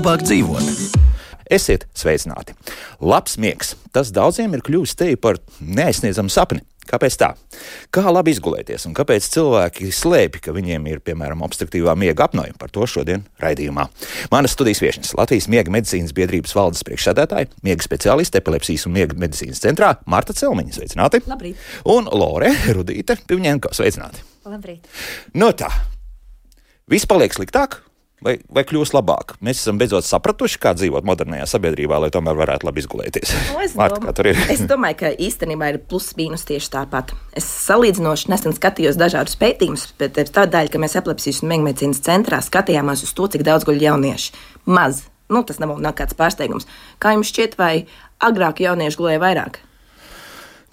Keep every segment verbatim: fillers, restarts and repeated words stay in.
labāk dzīvot. Esiet sveicināti! Labs miegs. Tas daudziem ir kļuvis te par neaizsniedzamu sapni. Kāpēc tā? Kā labi izgulēties un kāpēc cilvēki slēpj, ka viņiem ir, piemēram, obstruktīvā miega apnoja? Par to šodien raidījumā. Manas studijas viešņas Latvijas miega medicīnas biedrības valdes priekšsēdētāja, miega speciāliste epilepsijas un miega medicīnas centrā Marta Celmiņa. Sveicināti! Labrīt! Un Lore Rudīte Pivņenko. Sveicināti! Labrīt! No tā, viss paliek sliktāk? Vai, vai kļūs labāk? Mēs esam beidzot sapratuši, kā dzīvot modernajā sabiedrībā, lai tomēr varētu labi izgulēties. No, es, Marta, dom- kā tur ir? es domāju, ka īstenībā ir plus-mínus tieši tāpat. Es salīdzinoši nesen skatījos dažādus pētījumus, bet tādēļ, ka mēs epilepsijas un miega medicīnas centrā skatījāmies uz to, cik daudz guļ jaunieši. Maz. Nu, tas nav, nav kāds pārsteigums. Kā jums šķiet, vai agrāk jaunieši gulēja vairāk?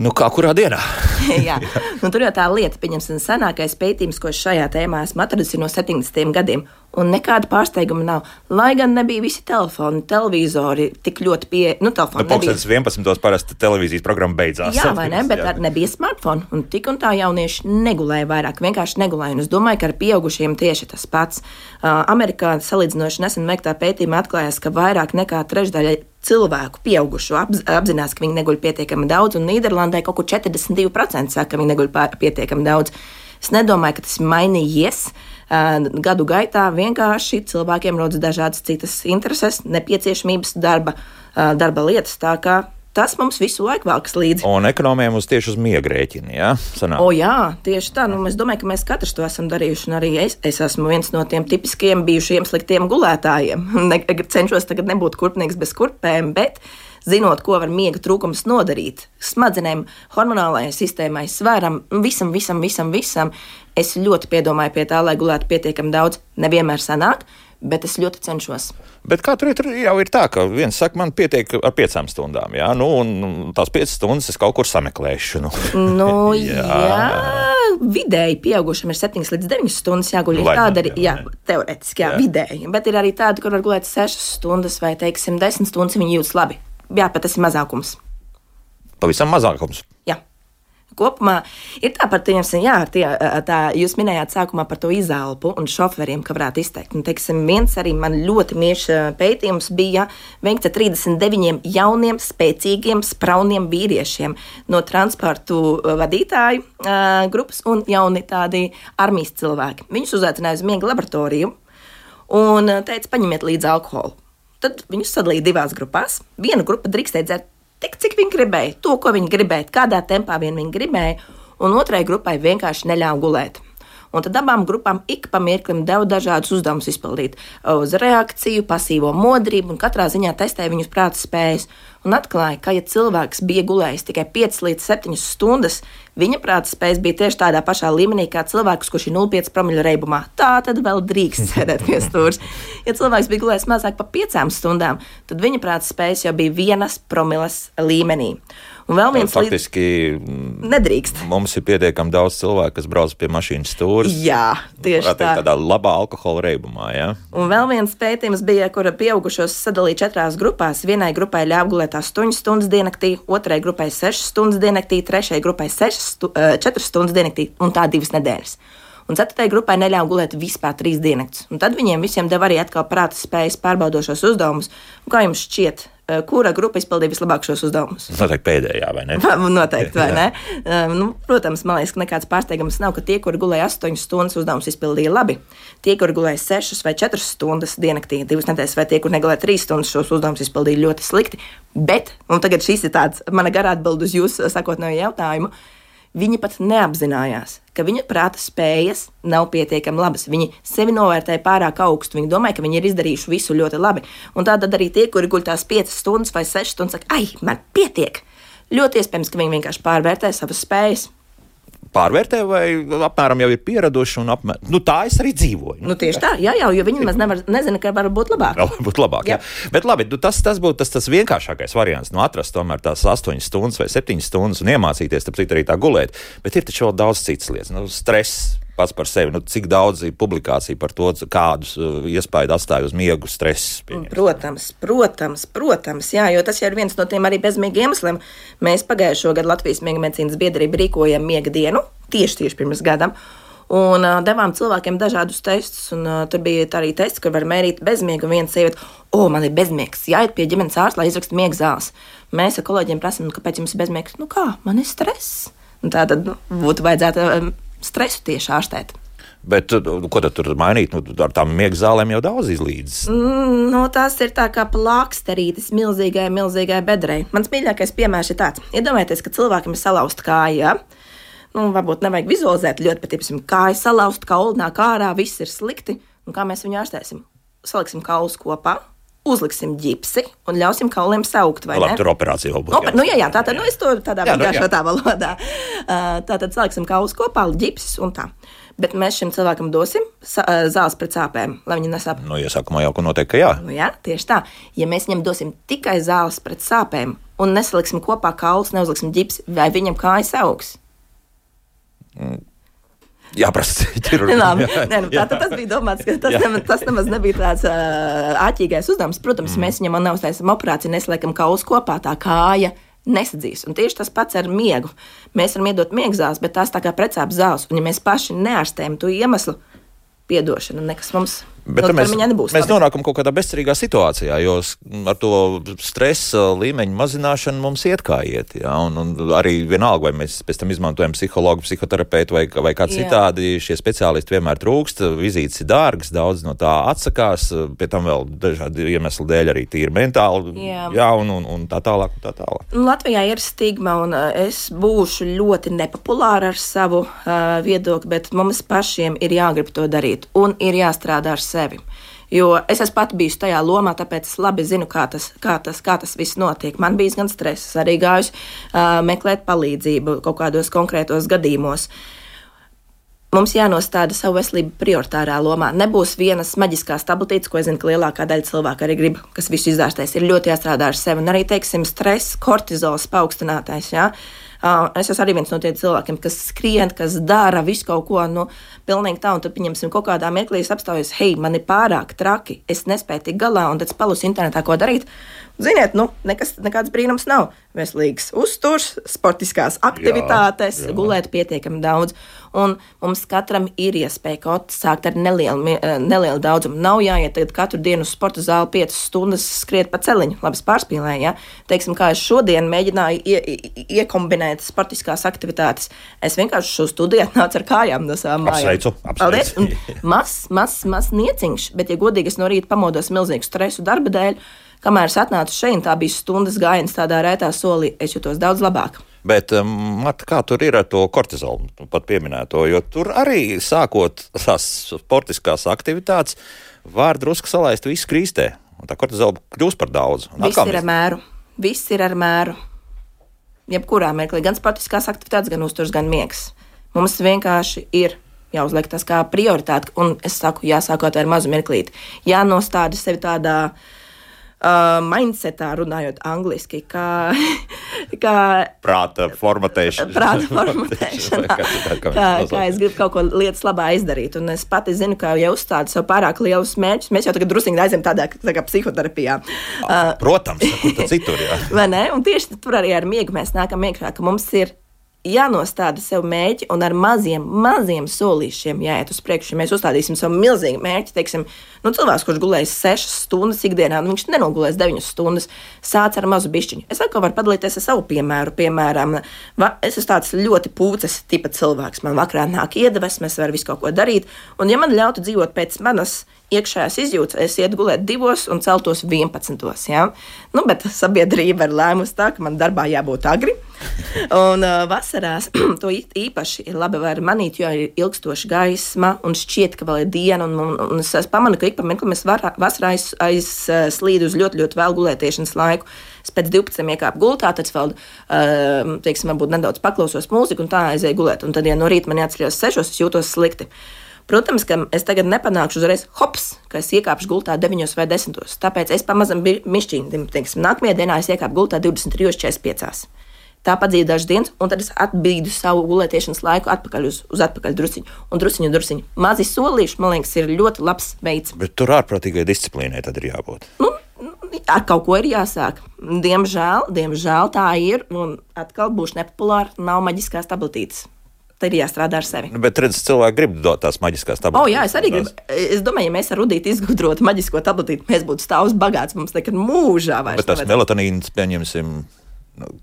Nu, kā kurā dienā? Jā, nu, tur jau tā lieta, pieņemsim, senākais pētījums, ko es šajā tēmā esmu atradusi no septiņdesmitiem gadiem. Un nekāda pārsteiguma nav. Lai gan nebija visi telefoni, televizori tik ļoti pie... Nu, telefoni Nu, pulkstenis vienpadsmitos parasti televīzijas programma beidzās. Jā, vai ne, bet ar nebija smartphone. Un tik un tā jaunieši negulēja vairāk, vienkārši negulēja. Un es domāju, ka ar pieaugušiem tieši tas pats. Uh, Amerikā salīdzinoši nesen veiktā pētījumā atklājās, ka vairāk nekā trešdaļa cilvēku pieaugušo apz, apzinās, ka viņi neguļ pietiekami daudz, un Nīderlandē kaut kur četrdesmit divi procenti saka, ka viņi neguļ pār, pietiekami daudz. Es nedomāju, ka tas ir mainījies. Uh, gadu gaitā vienkārši cilvēkiem rodas dažādas citas intereses, nepieciešamības, darba, uh, darba lietas, tā kā tas mums visu laiku velkas līdzi. Un ekonomiem uz tieši uz miega rēķina, jā? Sanāk. O jā, tieši tā. Nu, es domāju, ka mēs katrs to esam darījuši, un arī es, es esmu viens no tiem tipiskiem bijušiem sliktiem gulētājiem. Ne, cenšos tagad nebūt kurpnieks bez kurpēm, bet zinot, ko var miega trūkums nodarīt smadzenēm, hormonālajai sistēmai, svaram, visam, visam, visam, visam, es ļoti piedomāju pie tā, lai gulētu pietiekami daudz. Nevienmēr sanāk, bet es ļoti cenšos. Bet kā tur ir, tur jau ir tā, ka viens saka, man pietiek ar piecām stundām, jā? Nu, un tās piecas stundas es kaut kur sameklēšu. Nu, nu jā. jā, vidēji pieaugušam ir septiņas līdz deviņas stundas jāguļ. Lai, tāda jā, ir, jā, teorētiski, jā, jā, vidēji. Bet ir arī tādi, kur var gulēt sešas stundas vai, teiksim, desmit stundas, viņi jūtas labi. Jā, pat tas ir mazākums. Pavisam mazākums. Jā. Kopumā ir tā par tiem, jā, tie, tā jūs minējāt sākumā par to izelpu un šoferiem, ka varētu izteikt. Un, teiksim, viens arī man ļoti miešs pētījums bija veikts ar trīsdesmit deviņiem jauniem, spēcīgiem, sprauniem vīriešiem no transportu vadītāju uh, grupas un jauni tādi armijas cilvēki. Viņus uzaicināja uz miega laboratoriju un teica, paņemiet līdzi alkoholu. Tad viņus sadalīja divās grupās. Viena grupa drīkstēja dzert tik, cik viņi gribēja, to, ko viņi gribēja, kādā tempā vien viņi gribēja, un otrai grupai vienkārši neļāva gulēt. Un tad abām grupām ik pa mirklim deva dažādus uzdevumus izpildīt uz reakciju, pasīvo modrību, un katrā ziņā testēja viņus prāta spējas. Un atklāja, ka, ja cilvēks bija gulējis tikai piecas līdz septiņas stundas, viņa prāta spējas bija tieši tādā pašā līmenī kā cilvēks, kurš ir nulle komats pieci promili reibumā. Tā tad vēl drīkst sēdēt pie stūres. Ja cilvēks bija gulējis mazāk par piecām stundām, tad viņa prāta spējas jau bija vienas promiles līmenī. Un vēl viens faktiski līdz... nedrīkst. Mums ir pietiekami daudz cilvēku, kas brauc pie mašīnas stūres. Jā, tieši tā. Teikt, tādā labā alkohola reibumā, jā. Un vēl viens pētījums bija, kura pieaugušos sadalīja četrās grupās. Vienai grupai ļāva gulēt astoņas stundas diennaktī, otrai grupai sešas stundas diennaktī, trešai grupai stu, četras stundas diennaktī un tā divas nedēļas. Un ceturtajai grupai neļāva gulēt vispār trīs diennakts. Un tad viņiem visiem deva arī atkal prāta spējas pārbaudošos uzdevumus. Un kā jums šķiet, kura grupa izpildīja vislabāk šos uzdevumus? Noteikti pēdējā, vai ne? Noteikti, vai ne? nu, protams, man liekas, ka nekāds pārsteigums nav, ka tie, kuri gulēja astoņas stundas, uzdevumus izpildīja labi. Tie, kuri gulēja sešas vai četras stundas diennaktī, divas nedēļas, vai tie, kur negulēja trīs stundas, šos uzdevumus izpildīja ļoti slikti. Bet, un tagad šis ir tāds mana garā atbild uz jūsu sakotnējo jautājumu, viņi pat neapzinājās, ka viņa prāta spējas nav pietiekami labas. Viņi sevi novērtēja pārāk augstu. Viņi domāja, ka viņi ir izdarījuši visu ļoti labi. Un tātad arī tie, kuri guļ tās piecas stundas vai sešas stundas, saka, ai, man pietiek. Ļoti iespējams, ka viņi vienkārši pārvērtē savas spējas. Pārvērtē vai apmēram jau ir pieraduši un apmēram, nu tā es arī dzīvoju. Nu tieši tā, jā, jā, jo viņi maz nevar, nezina, ka var būt labāk. Var būt labāk, jā. jā. Bet labi, nu, tas, tas būtu tas, tas vienkāršākais variants, nu atrast tomēr tās astoņas stundas vai septiņas stundas un iemācīties, tāpēc arī tā gulēt. Bet ir taču vēl daudz citas lietas, nu stress pats par sevi, nu cik daudz ir publikācija par to, kādus uh, iespaidu atstāja uz miegu stress. Pieņems. Protams, protams, protams, jā, jo tas jau ir viens no tiem arī bezmiega iemesliem. Mēs pagājušo gadu Latvijas miega medicīnas biedrība rīkojam miega dienu, tieši tieši pirms gadam. Un uh, devām cilvēkiem dažādus testus, un uh, tur bija arī tests, kur var mērīt bezmiegu, un viena sieviete, o, man ir bezmiegs, jāiet pie ģimenes ārsta, lai izraksta miega zāles. Mēs ar kolēģiem prasām, nu, kāpēc jums ir bezmiegs? Nu kā, man ir stress. Un tā tad nu, būtu vajadzētu um, stresu tieši ārstēt. Bet ko tad tur mainīt? Nu, ar tām miega zālēm jau daudz izlīdzas. Mm, no, tās ir tā kā plāksterītes milzīgai, milzīgai bedrei. Mans mīļākais piemērs ir tāds. Iedomājieties, ka cilvēkam ir salauzta kāja. Nu, varbūt nevajag vizualizēt ļoti, bet, piemēram, kāja salauzta, kauli nāk ārā, viss ir slikti. Un kā mēs viņu ārstēsim? Saliksim kaulus kopā, uzliksim ģipsi un ļausim kauliem saukt, vai Labi, ne? Tur operācija vēl būs. Oper, nu, jā, jā, tātad, nu, es to tādā jā, nu, vienkāršotā valodā. Uh, tātad saliksim kaulus kopā, ģipsis un tā. Bet mēs šim cilvēkam dosim zāles pret sāpēm, lai viņi nesāp. Nu, iesākumā jau noteikti, ka jā. Nu, jā, tieši tā. Ja mēs viņam dosim tikai zāles pret sāpēm un nesaliksim kopā kaulus, neuzliksim ģipsi, vai viņam kājas augs? Mm. Jāprasa ķirurģi. Nē, nu, tā, tas bija domāts, ka tas, nemaz, tas nemaz nebija tāds uh, āķīgais uzdevums. Protams, mm. mēs viņam neuztaisam operāciju, nesliekam kaulus kopā, tā kāja nesadzīs. Un tieši tas pats ar miegu. Mēs varam iedot miega zāles, bet tās tā kā precāpes zāles. Un ja mēs paši neārstējam to iemeslu, piedošana, nekas mums Bet mēs, mēs nonākam kaut kādā bezcerīgā situācijā, jo ar to stresa līmeņu mazināšanu mums iet kā iet. Jā, un, un arī vienalga, vai mēs pēc tam izmantojam psihologu, psihoterapeitu vai, vai kādu citādi, šie speciālisti vienmēr trūkst, vizītes ir dārgas, daudz no tā atsakās, pie tam vēl dažādi iemesli dēļ arī tīri mentāli, jā, jā un, un, un tā tālāk, un tā tālāk. Latvijā ir stigma, un es būšu ļoti nepopulāra ar savu uh, viedokli, bet mums pašiem ir jāgrib to darīt, un ir jāstrādā ar sevi. Jo es esmu pati bijusi tajā lomā, tāpēc es labi zinu, kā tas, kā tas, kā tas viss notiek. Man bija gan stress, arī gājusi uh, meklēt palīdzību kaut kādos konkrētos gadījumos. Mums jānostāda savu veselību prioritārā lomā. Nebūs vienas maģiskās tabletītes, ko es zinu, ka lielākā daļa cilvēku arī grib, kas visu izārstēs. Ir ļoti jāstrādā ar sevi. Un arī, teiksim, stress, kortizols paaugstinātais, jā. Uh, es esmu arī viens no tiem cilvēkiem, kas skrien, kas dara visu kaut ko, nu, pilnīgi tā, un tad pieņemsim kaut kādā mirklī apstājas, hei, man ir pārāk traki, es nespēju tik galā, un tad palus internetā, ko darīt. Ziniet, nu, nekas, nekāds brīnums nav. Veselīgs uzturs, sportiskās aktivitātes, jā, jā. Gulēt pietiekami daudz. Un mums katram ir iespēja kaut sākt ar nelielu, nelielu daudzumu. Nav jāiet tagad katru dienu uz sporta zāli piecas stundas skriet pa celiņu. Labi, es pārspīlēju, ja? Teiksim, kā es šodien mēģināju ie, ie, iekombinēt sportiskās aktivitātes. Es vienkārši šo studiju atnācu ar kājām no savām mājām. Apsveicu, apsveicu. Mazs, mazs, mazs nieciņš, bet, ja godīgi, es no rīta pamodos milzīgu stresu darba dēļ, kamēr es atnācu šeit, tā bija stundas gājiens tādā rētā solī, es jutos daudz labāk. Bet, Marta, kā tur ir ar to kortizolu, pat pieminēto, jo tur arī sākot tās sportiskās aktivitātes, var drusku salaist visu krīstē, un tā kortizola kļūst par daudz. Viss ir ar mēru, viss ir ar mēru. Jebkurā mirklī, gan sportiskās aktivitātes, gan uzturs, gan miegs. Mums vienkārši ir jāuzliek tas kā prioritāte, un es saku, jāsākot ar mazu mirklīti. Jānostāda sevi tādā Uh, mindsetā, runājot angliski, kā, kā prāta formatēšana. Prāta formatēšana. kā, kā, kā es gribu kaut ko lietas labā izdarīt. Un es pati zinu, ka ja uzstādu sev pārāk lielus mērķus, mēs jau tagad drusīgi aizem tādā tā kā psihoterapijā. Uh, Protams, kur tad citur, jā. Vai ne? Un tieši tur arī ar miegu mēs nākam iekšā, ka mums ir jānostāda sev mērķi un ar maziem, maziem solīšiem jāiet uz priekšu. Ja mēs uzstādīsim savu milzīgu mērķi, teiksim, nu, cilvēks, kurš gulēs sešas stundas ikdienā, nu, viņš nenogulēs deviņas stundas, sāc ar mazu bišķiņu. Es atkal varu padalīties ar savu piemēru. Piemēram, va, es esmu tāds ļoti pūces tipa cilvēks. Man vakarā nāk iedvesmas, var visu kaut ko darīt. Un ja man ļautu dzīvot pēc manas iekšējās izjūtas, es ietu gulēt divos un celtos vienpadsmitos. Ja? Nu, bet sabiedrība ir lēmusi tā, ka man darbā jābūt agri. Un uh, vasarās to īpaši ir labi var manīt, jo ir ilgstoša gaisma un šķiet, ka vēl ir diena. Un, un, un es pamanu, ka ik pa mirkli mēs var, vasarā aiz, aiz slīdu uz ļoti, ļoti vēl gulētiešanas laiku. Es pēc divpadsmit iekāpu gultā, tad vēl, uh, teiksim, varbūt nedaudz paklausos mūziku un tā aizēju gulēt. Un tad, ja no rīta man jāatceļos sešos, es jūtos slikti. Protams, ka es tagad nepanākšu uzreiz hops, ka es iekāpšu gultā deviņos vai desmitos. Tāpēc es pamazam mišķīni, teiksim, nākamajā dienā es iekāpu gultā divdesmit trijos četrdesmit piecos. Tā padzīju dažas dienas, un tad es atbīdu savu gulētiešanas laiku atpakaļ uz, uz atpakaļ drusiņu. Un drusiņu, drusiņu. Mazi solīši, man liekas, ir ļoti labs veids. Bet tur ārprātīgai disciplīnai tad ir jābūt. Nu, ar kaut ko ir jāsāk. Diemžēl, diemžēl tā ir, un atkal būšu nepopulāra, nav maģiskās tabletītes. tad ir jāstrādā ar sevi. Bet redz, cilvēki grib dot tās maģiskās tabletītes. O, jā, es arī gribu. Es domāju, ja mēs ar Rudīti izgudrotu maģisko tabletīti, mēs būtu stāvs bagāts, mums nekad mūžā vairs. Bet tas melatonīns, pieņemsim,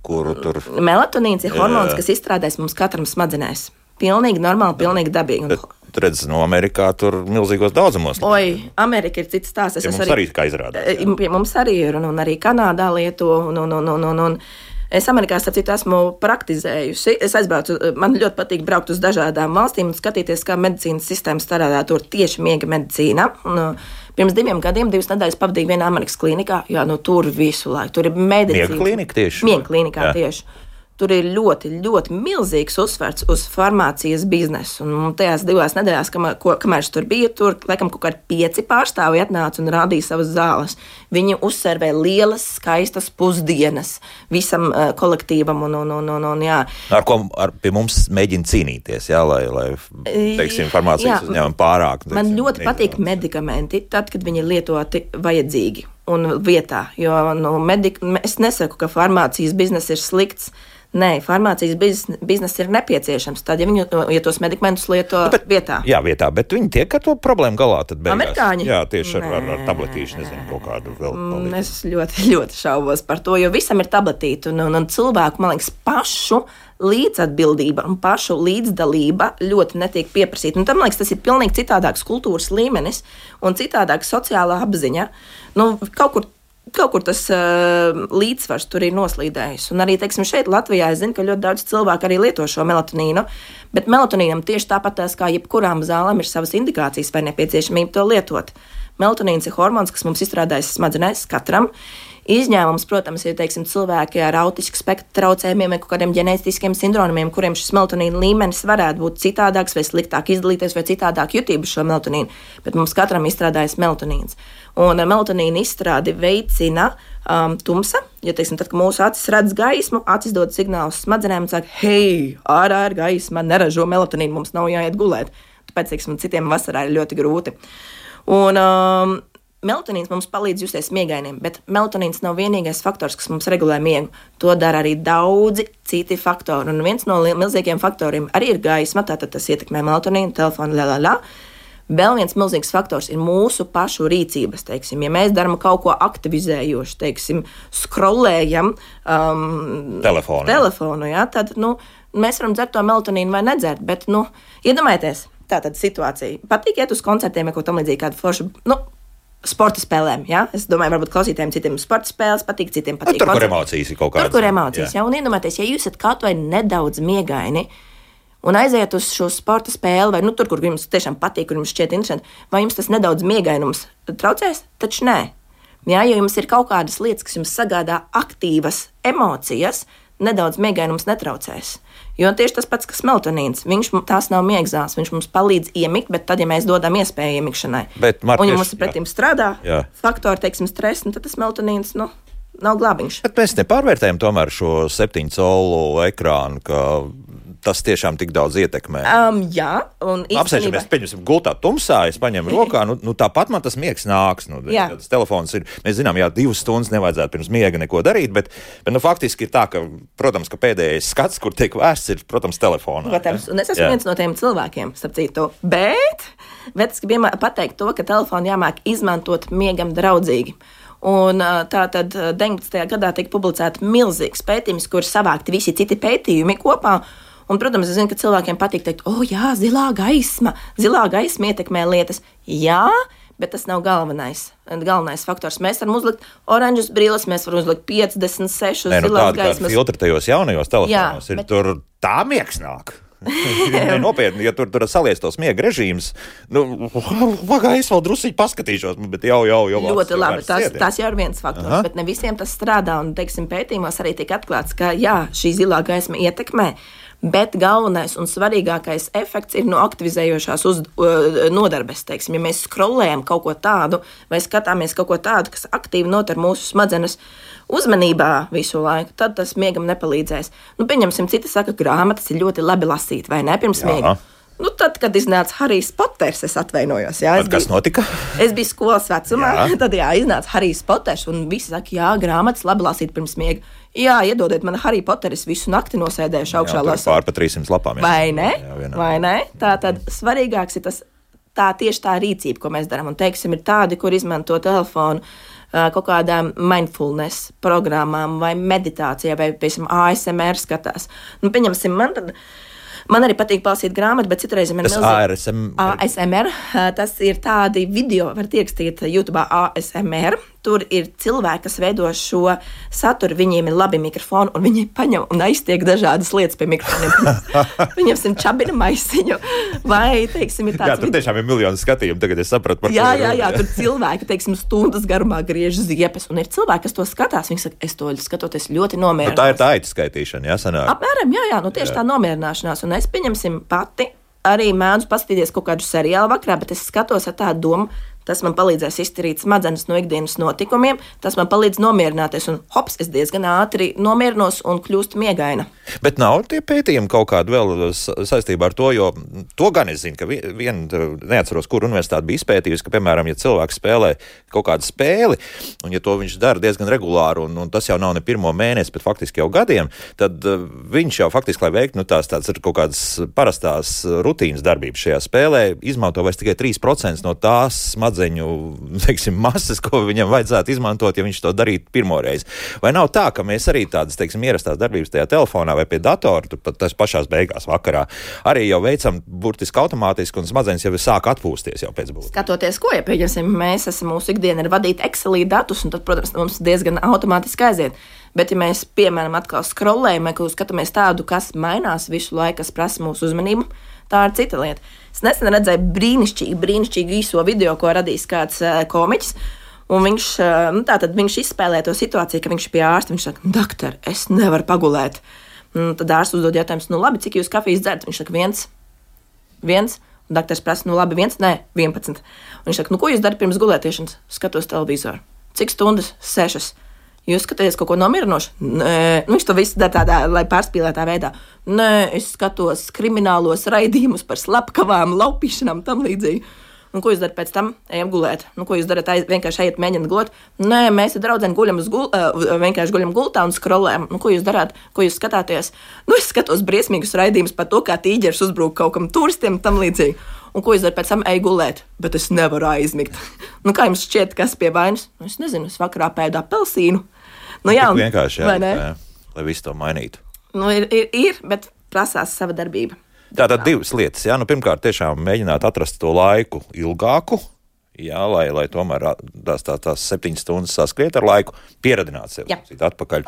kuru tur... Melatonīns ir hormons, kas izstrādājas mums katram smadzenēs. Pilnīgi normāli, pilnīgi dabīgi. Bet redz, no Amerikā tur milzīgos daudzumos. Oi, Amerika ir cits stāsts. Ja mums arī, arī kā izrādās. Ja mums arī ir, un, un arī Kanādā lieto, un, un, un, un, un, un es Amerikā, starp citu, esmu praktizējusi. Es aizbraucu, man ļoti patīk braukt uz dažādām valstīm un skatīties, kā medicīnas sistēma strādā. Tur tieši miega medicīna. Un, pirms diviem gadiem, divas nedēļas pavadīju vienā Amerikas klinikā. Jā, nu tur visu laiku. Tur ir medicīna. Miega klinika tieši? Miega klinikā tieši. Tur ir ļoti, ļoti milzīgs uzsvers uz farmācijas biznesu. Un tajās divās nedēļās, kamēr, ko, kamēr es tur biju, tur laikam kaut kādi pieci pārstāvji atnāca un rādīja savas zāles. Viņi uzservē lielas, skaistas pusdienas visam uh, kolektīvam. Un, un, un, un, un, jā. Ar ko ar, pie mums mēģina cīnīties, jā, lai, lai teiksim, farmācijas uzņēmumi pārāk. Teiksim, man ļoti patīk medikamenti, tad, kad viņi ir lietoti vajadzīgi un vietā. Jo nu, medik, es nesaku, ka farmācijas bizness ir slikts. Nē, farmācijas bizness ir nepieciešams. Tad, ja viņi ja tos medikamentus lieto nu, bet, vietā. Jā, vietā, bet viņi tiek ar to problēmu galā. Amerikāņi? Jā, tieši ar, ar, ar tabletīšu, nezinu, kaut kādu vēl palīdzību. Es ļoti, ļoti šaubos par to, jo visam ir tabletīti. Un, un, un cilvēku, man liekas, pašu līdzatbildība un pašu līdzdalība ļoti netiek pieprasīta. Un tam, man liekas, tas ir pilnīgi citādāks kultūras līmenis un citādāks sociālā apziņa. Nu, kaut kur Kaut kur tas uh, līdzsvars tur ir noslīdējis. Un arī, teiksim, šeit Latvijā es zinu, ka ļoti daudz cilvēku arī lieto šo melatonīnu, bet melatonīnam tieši tāpat tās kā jebkurām zālēm ir savas indikācijas vai nepieciešamība to lietot. Melatonīns ir hormons, kas mums izstrādājas smadzenēs katram. Izņēmums, protams, ir teiksim, cilvēki ar autisku spektra traucējumiem vai kādiem ģenētiskiem sindromiem, kuriem šis melatonīna līmenis varētu būt citādāks vai sliktāk izdalīties vai citādāk jutību šo melatonīnu, bet mums katram izstrādājas melatonīns. Un melatonīna izstrādi veicina um, tumsa, jo, teiksim, tad, kad mūsu acis redz gaismu, acis dod signālus smadzenēm un saka, hei, ārā ir gaisma, neražo melatonīnu, mums nav jāiet gulēt. Tāpēc, teiksim, citiem vasarā ir ļoti grūti. Un, um, Melatonīns mums palīdz justies miegainiem, bet melatonīns nav vienīgais faktors, kas mums regulē miegu. To dara arī daudzi citi faktori. Un viens no milzīgiem faktoriem arī ir gaisma, tātad tas ietekmē melatonīnu, telefonu, la, la, la. Vēl viens milzīgs faktors ir mūsu pašu rīcības. Teiksim, ja mēs darām kaut ko aktivizējošu, teiksim, scrollējam um, telefonu, telefonu jā, tad nu, mēs varam dzert to melatonīnu vai nedzert, bet nu, iedomājieties, tā tad situācija. Patīk iet uz koncertiem, ja kaut tam līdzīgi kādu foršu, nu, sporta spēlēm, jā. Es domāju, varbūt klausītājiem citiem sporta spēles patīk, citiem patīk. Tur, kur emocijas ir kaut kādas. Tur, kur emocijas, jā. jā. Un iedomājieties, ja jūs esat kaut vai nedaudz miegaini un aiziet uz šo sporta spēli, vai nu tur, kur jums tiešām patīk, kur jums šķiet interesanti, vai jums tas nedaudz miegainums traucēs? Taču nē. Jā, jo jums ir kaut kādas lietas, kas jums sagādā aktīvas emocijas, nedaudz miegainums netraucēs. Jo tieši tas pats, kas melatonīns, viņš tās nav miegzāles, viņš mums palīdz iemigt, bet tad, ja mēs dodam iespēju iemikšanai, bet, Mark, un ja mums pretim strādā jā. faktori, teiksim, stress, nu, tad tas melatonīns, nu, nav glābiņš. Bet mēs nepārvērtējam tomēr šo septiņu colu ekrānu, ka tas tiešām tik daudz ietekmē. Um, jā, un īstenībā... Apsēžamies, pieņemsim, gultā tumsā, es paņemu rokā, nu, nu tāpat man tas miegs nāks. Nu, tas telefons ir, mēs zinām, jā, divas stundas nevajadzētu pirms miega neko darīt, bet, bet nu, faktiski ir tā, ka, protams, ka pēdējais skats, kur tiek vērsts, ir, protams, telefonā. Protams, un es esmu jā. viens no tiem cilvēkiem, starp citu, bet, bet es gribu pateikt to, ka telefonu jāmāk izmantot miegam draudzīgi. Un tā tad deviņpadsmitajā gadā tika publicēta milzīgs pētījums, kur savākti visi citi pētījumi kopā. Un, protams, es zinu, ka cilvēkiem patīk teikt, o, jā, zilā gaisma, zilā gaisma ietekmē lietas. Jā, bet tas nav galvenais, galvenais faktors. Mēs varam uzlikt oranžas brilles, mēs varam uzlikt piecdesmit sešas Nē, nu, zilās tādi, gaismas. Filtri tajos jaunajos telefonos jā, ir, bet... tur tā miegs nāk. Nopietni, ja tur, tur salies tos miega režīms, nu, vagā es vēl drusīgi paskatīšos, bet jau, jau, jau. Ļoti labi, tas, tas jau ir viens faktors, Aha. bet ne visiem tas strādā, un, teiksim, pētījumos arī tika atklāts, ka, jā, šī zilā gaisma ietekmē, bet galvenais un svarīgākais efekts ir no aktivizējošās uz, uh, nodarbes, teiksim, ja mēs scrollējam kaut ko tādu, vai skatāmies kaut ko tādu, kas aktīvi notar mūsu smadzenes uzmanībā visu laiku, tad tas miegam nepalīdzēs. Nu, pieņemsim, citi saka, grāmatas ir ļoti labi lasīt, vai ne, pirms Jā. miega. Nu, tad, kad iznāca Harijs Poters, es atvainojos. Jā, es kas biju, notika? Es biju skolas vecumā, Jā. tad jā, iznāca Harijs Poters, un visi saka, jā, grāmatas labi lasīt pirms miega. Jā, iedodiet man Hariju Poteru, es visu nakti nosēdējuši augšā lasot. Pār pa trīsimt lapām. Jā. Vai ne? Jā, Vai ne? Tā tad svarīgāks ir tas, tā tieši tā rīcība, ko mēs darām. Un, teiksim, ir tādi, kur izmanto telefonu kaut kādām mindfulness programmām vai meditācijā, vai, piemēram, A S M R skatās. Nu, pieņemsim, man tad... Man arī patīk palasīt grāmatu, bet citreiz man ir milzīgi. A S M R. A S M R. Tas ir tādi video, varat ierakstīt YouTube A S M R. Tur ir cilvēki, kas veido šo saturu, viņiem ir labi mikrofoni, un viņi paņem un aiztiek dažādas lietas pie mikrofoniem. Viņam ir čabina maisiņu, vai, teiksim, ir tāds... Jā, tur video... tiešām ir miljoni skatījumu, tagad es sapratu par jā, to. Jā, jā, tur cilvēki, teiksim, stundas garumā griež ziepes, un ir cilvēki, kas to skatās, viņi saka, es to skatoties ļoti nomierināšanās. Nu, tā ir tā aitu skaitīšana, jā, sanāk? Apmēram, jā, jā, nu tieši jā. Tā nomierināšanās, un es pieņemsim pati, arī mēdzu paskatīties kaut kādu seriālu vakarā, bet es skatos ar tādu domu, tas man palīdzēs izturīt smadzenes no ikdienas notikumiem, tas man palīdz nomierināties, un hops, es diezgan ātri nomierinos un kļūstu miegaina. Bet nav tie pētījumi kaut kādi vēl saistībā ar to, jo to gan es zinu, ka vien, neatceros, kur universitāte bija izpētījusi, ka, piemēram, ja cilvēks spēlē kaut kādu spēli, un ja to viņš dara diezgan regulāri, un, un tas jau nav ne pirmo mēnesi, bet faktiski jau gadiem, tad viņš jau faktiski, lai veiktu, nu tās tāds ir kaut kādas parastās rutīnas darbības šajā spēlē, izmanto vairs tikai trīs procenti no tās smadzeņu, teiksim, masas, ko viņam vajadzētu izmantot, ja viņš to darītu pirmoreiz. Vai nav tā, ka mēs arī tādas, teiksim, ierastās darbības tajā telefonā vai pie datora, tur pat tas pašās beigās vakarā, arī jau veicam burtiski automātiski un smadzenes jau sāk atpūsties jau pēc būtības? Skatoties, ko, ja pieņemsim, mēs esam mūsu ikdiena ir vadīt Excelī datus, un tad, protams, mums diezgan automātiski aiziet. Bet, ja mēs, piemēram, atkal scrollējam, vai skatāmies tādu, kas mainās visu laiku, kas prasa mūsu uzmanību, tā ir cita lieta. Es nesen redzēju brīnišķīgu, brīnišķīgu īso video, ko radījis kāds uh, komiķis, un viņš, uh, nu, tātad viņš izspēlē to situāciju, ka viņš ir pie ārsta, viņš saka, doktor, es nevaru pagulēt. Un tad ārsts uzdod jautājumus, nu labi, cik jūs kafijas dzerat? Viņš saka, viens, viens, un doktors prasa, nu labi, viens, nē, vienpadsmit. Un viņš saka, nu ko jūs darat pirms gulētiešanas? Skatos televizoru. Cik stundas? Sešas. Jūs skatāties kaut ko nomierinošu? Nē, nu, viņš to visu dara tādā, lai pārspīlētā veidā. Nē, es skatos kriminālos raidījumus par slepkavām, laupīšanām, tam līdzīgi. Un ko jūs darat pēc tam? Ejam gulēt. Nu, ko jūs darat? Aiz, vienkārši ejat mēģināt gulēt? Nē, mēs ar draudzeni guļam uz gul, uh, vienkārši guļam gultā un scrollējam. Nu, ko jūs darāt? Ko jūs skatāties? Nu, es skatos briesmīgus raidījumus par to, kā tīģeris uzbrūk kaut kam turistiem, tam līdzīgi. Un ko jūs darat pēc tam? Ej gulēt, bet es nevaru aizmigt. Nu, kā jums šķiet, kas pie vainas? Nu, es nezinu, es vakarā pēdu apelsīnu. Nu, jā, un, vienkārši, jā, jā, lai visu to mainītu. Nu, ir, ir, ir, bet prasās sava darbība. Tātad divas lietas. Jā, nu, pirmkārt, tiešām mēģināt atrast to laiku ilgāku, jā, lai, lai tomēr tās, tās, tās septiņas stundas saskriet ar laiku, pieradināt sevi atpakaļ.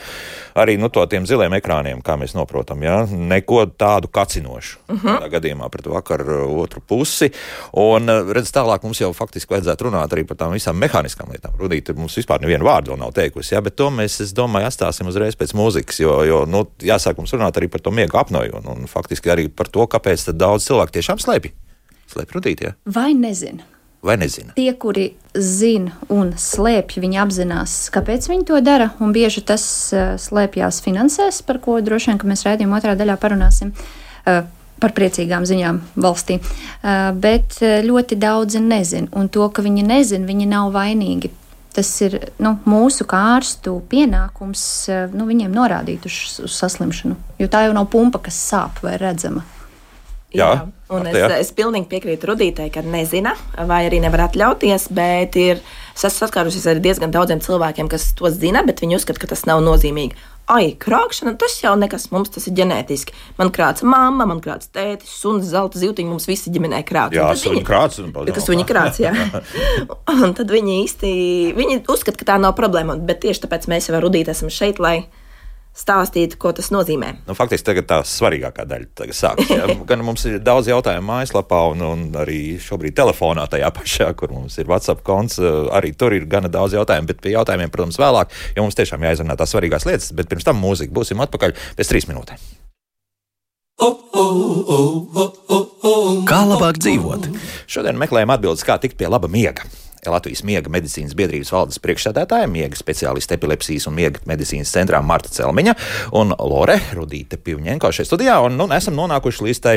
Arī nu, to tiem ziliem ekrāniem, kā mēs noprotam, jā, neko tādu kacinošu. Uh-huh. Tādā gadījumā pret vakaru otru pusi. Un, redz, tālāk mums jau faktiski vajadzētu runāt arī par tām visām mehāniskām lietām. Rudīte mums vispār nevienu vārdu vēl nav teikusi, jā, bet to mēs, es domāju, atstāsim uzreiz pēc mūzikas, jo, jo nu, jāsāk mums runāt arī par to miegu apnoju un, un faktiski arī par to, kāpēc tad daudz cilvēku tiešām slēpj. Slēpj Rudīte, jā? Vai nezinu? Vai nezina? Tie, kuri zina un slēpj, viņi apzinās, kāpēc viņi to dara, un bieži tas uh, slēpjās finansēs, par ko droši vien, ka mēs raidījuma otrā daļā parunāsim, uh, par priecīgām ziņām valstī. Uh, bet ļoti daudzi nezina, un to, ka viņi nezina, viņi nav vainīgi. Tas ir nu, mūsu kā ārstu pienākums uh, nu, viņiem norādīt uz, uz saslimšanu, jo tā jau nav pumpa, kas sāp vai redzama. Jā, jā, un es, es pilnīgi piekrītu Rudītei, ka nezina vai arī nevar atļauties, bet ir saskārusies ar diezgan daudziem cilvēkiem, kas to zina, bet viņi uzskata, ka tas nav nozīmīgi. Ai, krākšana, tas jau nekas, mums tas ir ģenētiski. Man krāca mamma, man krāca tētis, suns, zelta zivtiņi, mums visi ģimenē krāca. Jā, suņi krāca. Kas suņi krāca, jā. Un tad viņi īsti, viņi uzskata, ka tā nav problēma, bet tieši tāpēc mēs jau ar Rudīti esam šeit, lai stāstīt, ko tas nozīmē. Nu, faktiski tagad tā svarīgākā daļa sākas. Gan mums ir daudz jautājumu mājaslapā un, un arī šobrīd telefonā tajā pašā, kur mums ir WhatsApp konts, arī tur ir gana daudz jautājumu, bet pie jautājumiem, protams, vēlāk, jo mums tiešām jāizrunā tās svarīgās lietas, bet pirms tam mūzika. Būsim atpakaļ pēc trīs minūtēm. Kā labāk dzīvot? Šodien meklējam atbildes, kā tikt pie laba miega. Latvijas miega medicīnas biedrības valdes priekšsēdētāja, miega speciāliste epilepsijas un miega medicīnas centrā Marta Celmiņa un Lore Rudīte Pivņenko šeit studijā. Un nu, esam nonākuši līdz tai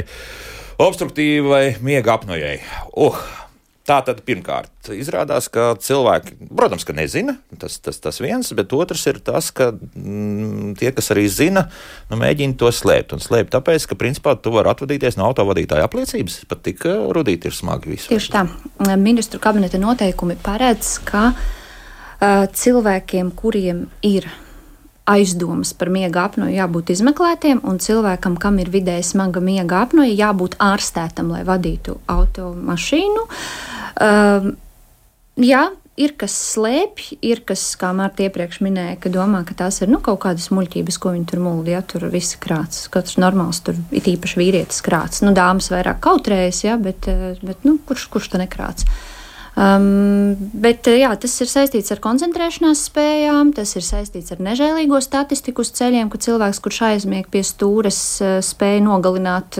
Obstruktīvai miega apnojai. Uh. Tā tad pirmkārt izrādās, ka cilvēki, protams, ka nezina, tas, tas, tas viens, bet otrs ir tas, ka mm, tie, kas arī zina, nu, mēģina to slēpt. Un slēpt tāpēc, ka principā tu vari atvadīties no autovadītāja apliecības, pat tik rudīt ir smagi visu. Tieši tā. Ministru kabineta noteikumi paredz, ka uh, cilvēkiem, kuriem ir aizdomas par miega apnoju, jābūt izmeklētiem, un cilvēkam, kam ir vidēji smaga miega apnoja, jābūt ārstētam, lai vadītu automašīnu. Uh, jā, ir kas slēpj, ir kas, kā Marta iepriekš minēja, ka domā, ka tās ir nu, kaut kādas muļķības, ko viņi tur muldi, ja tur visi krāts. Katrs normāls tur ir īpaši vīrietis krāts. Nu, dāmas vairāk kautrējas, ja, bet, bet nu, kurš, kurš ta nekrāts? Um, bet jā, tas ir saistīts ar koncentrēšanās spējām, tas ir saistīts ar nežēlīgo statistiku uz ceļiem, ka cilvēks, kurš aizmieg pie stūres, spēja nogalināt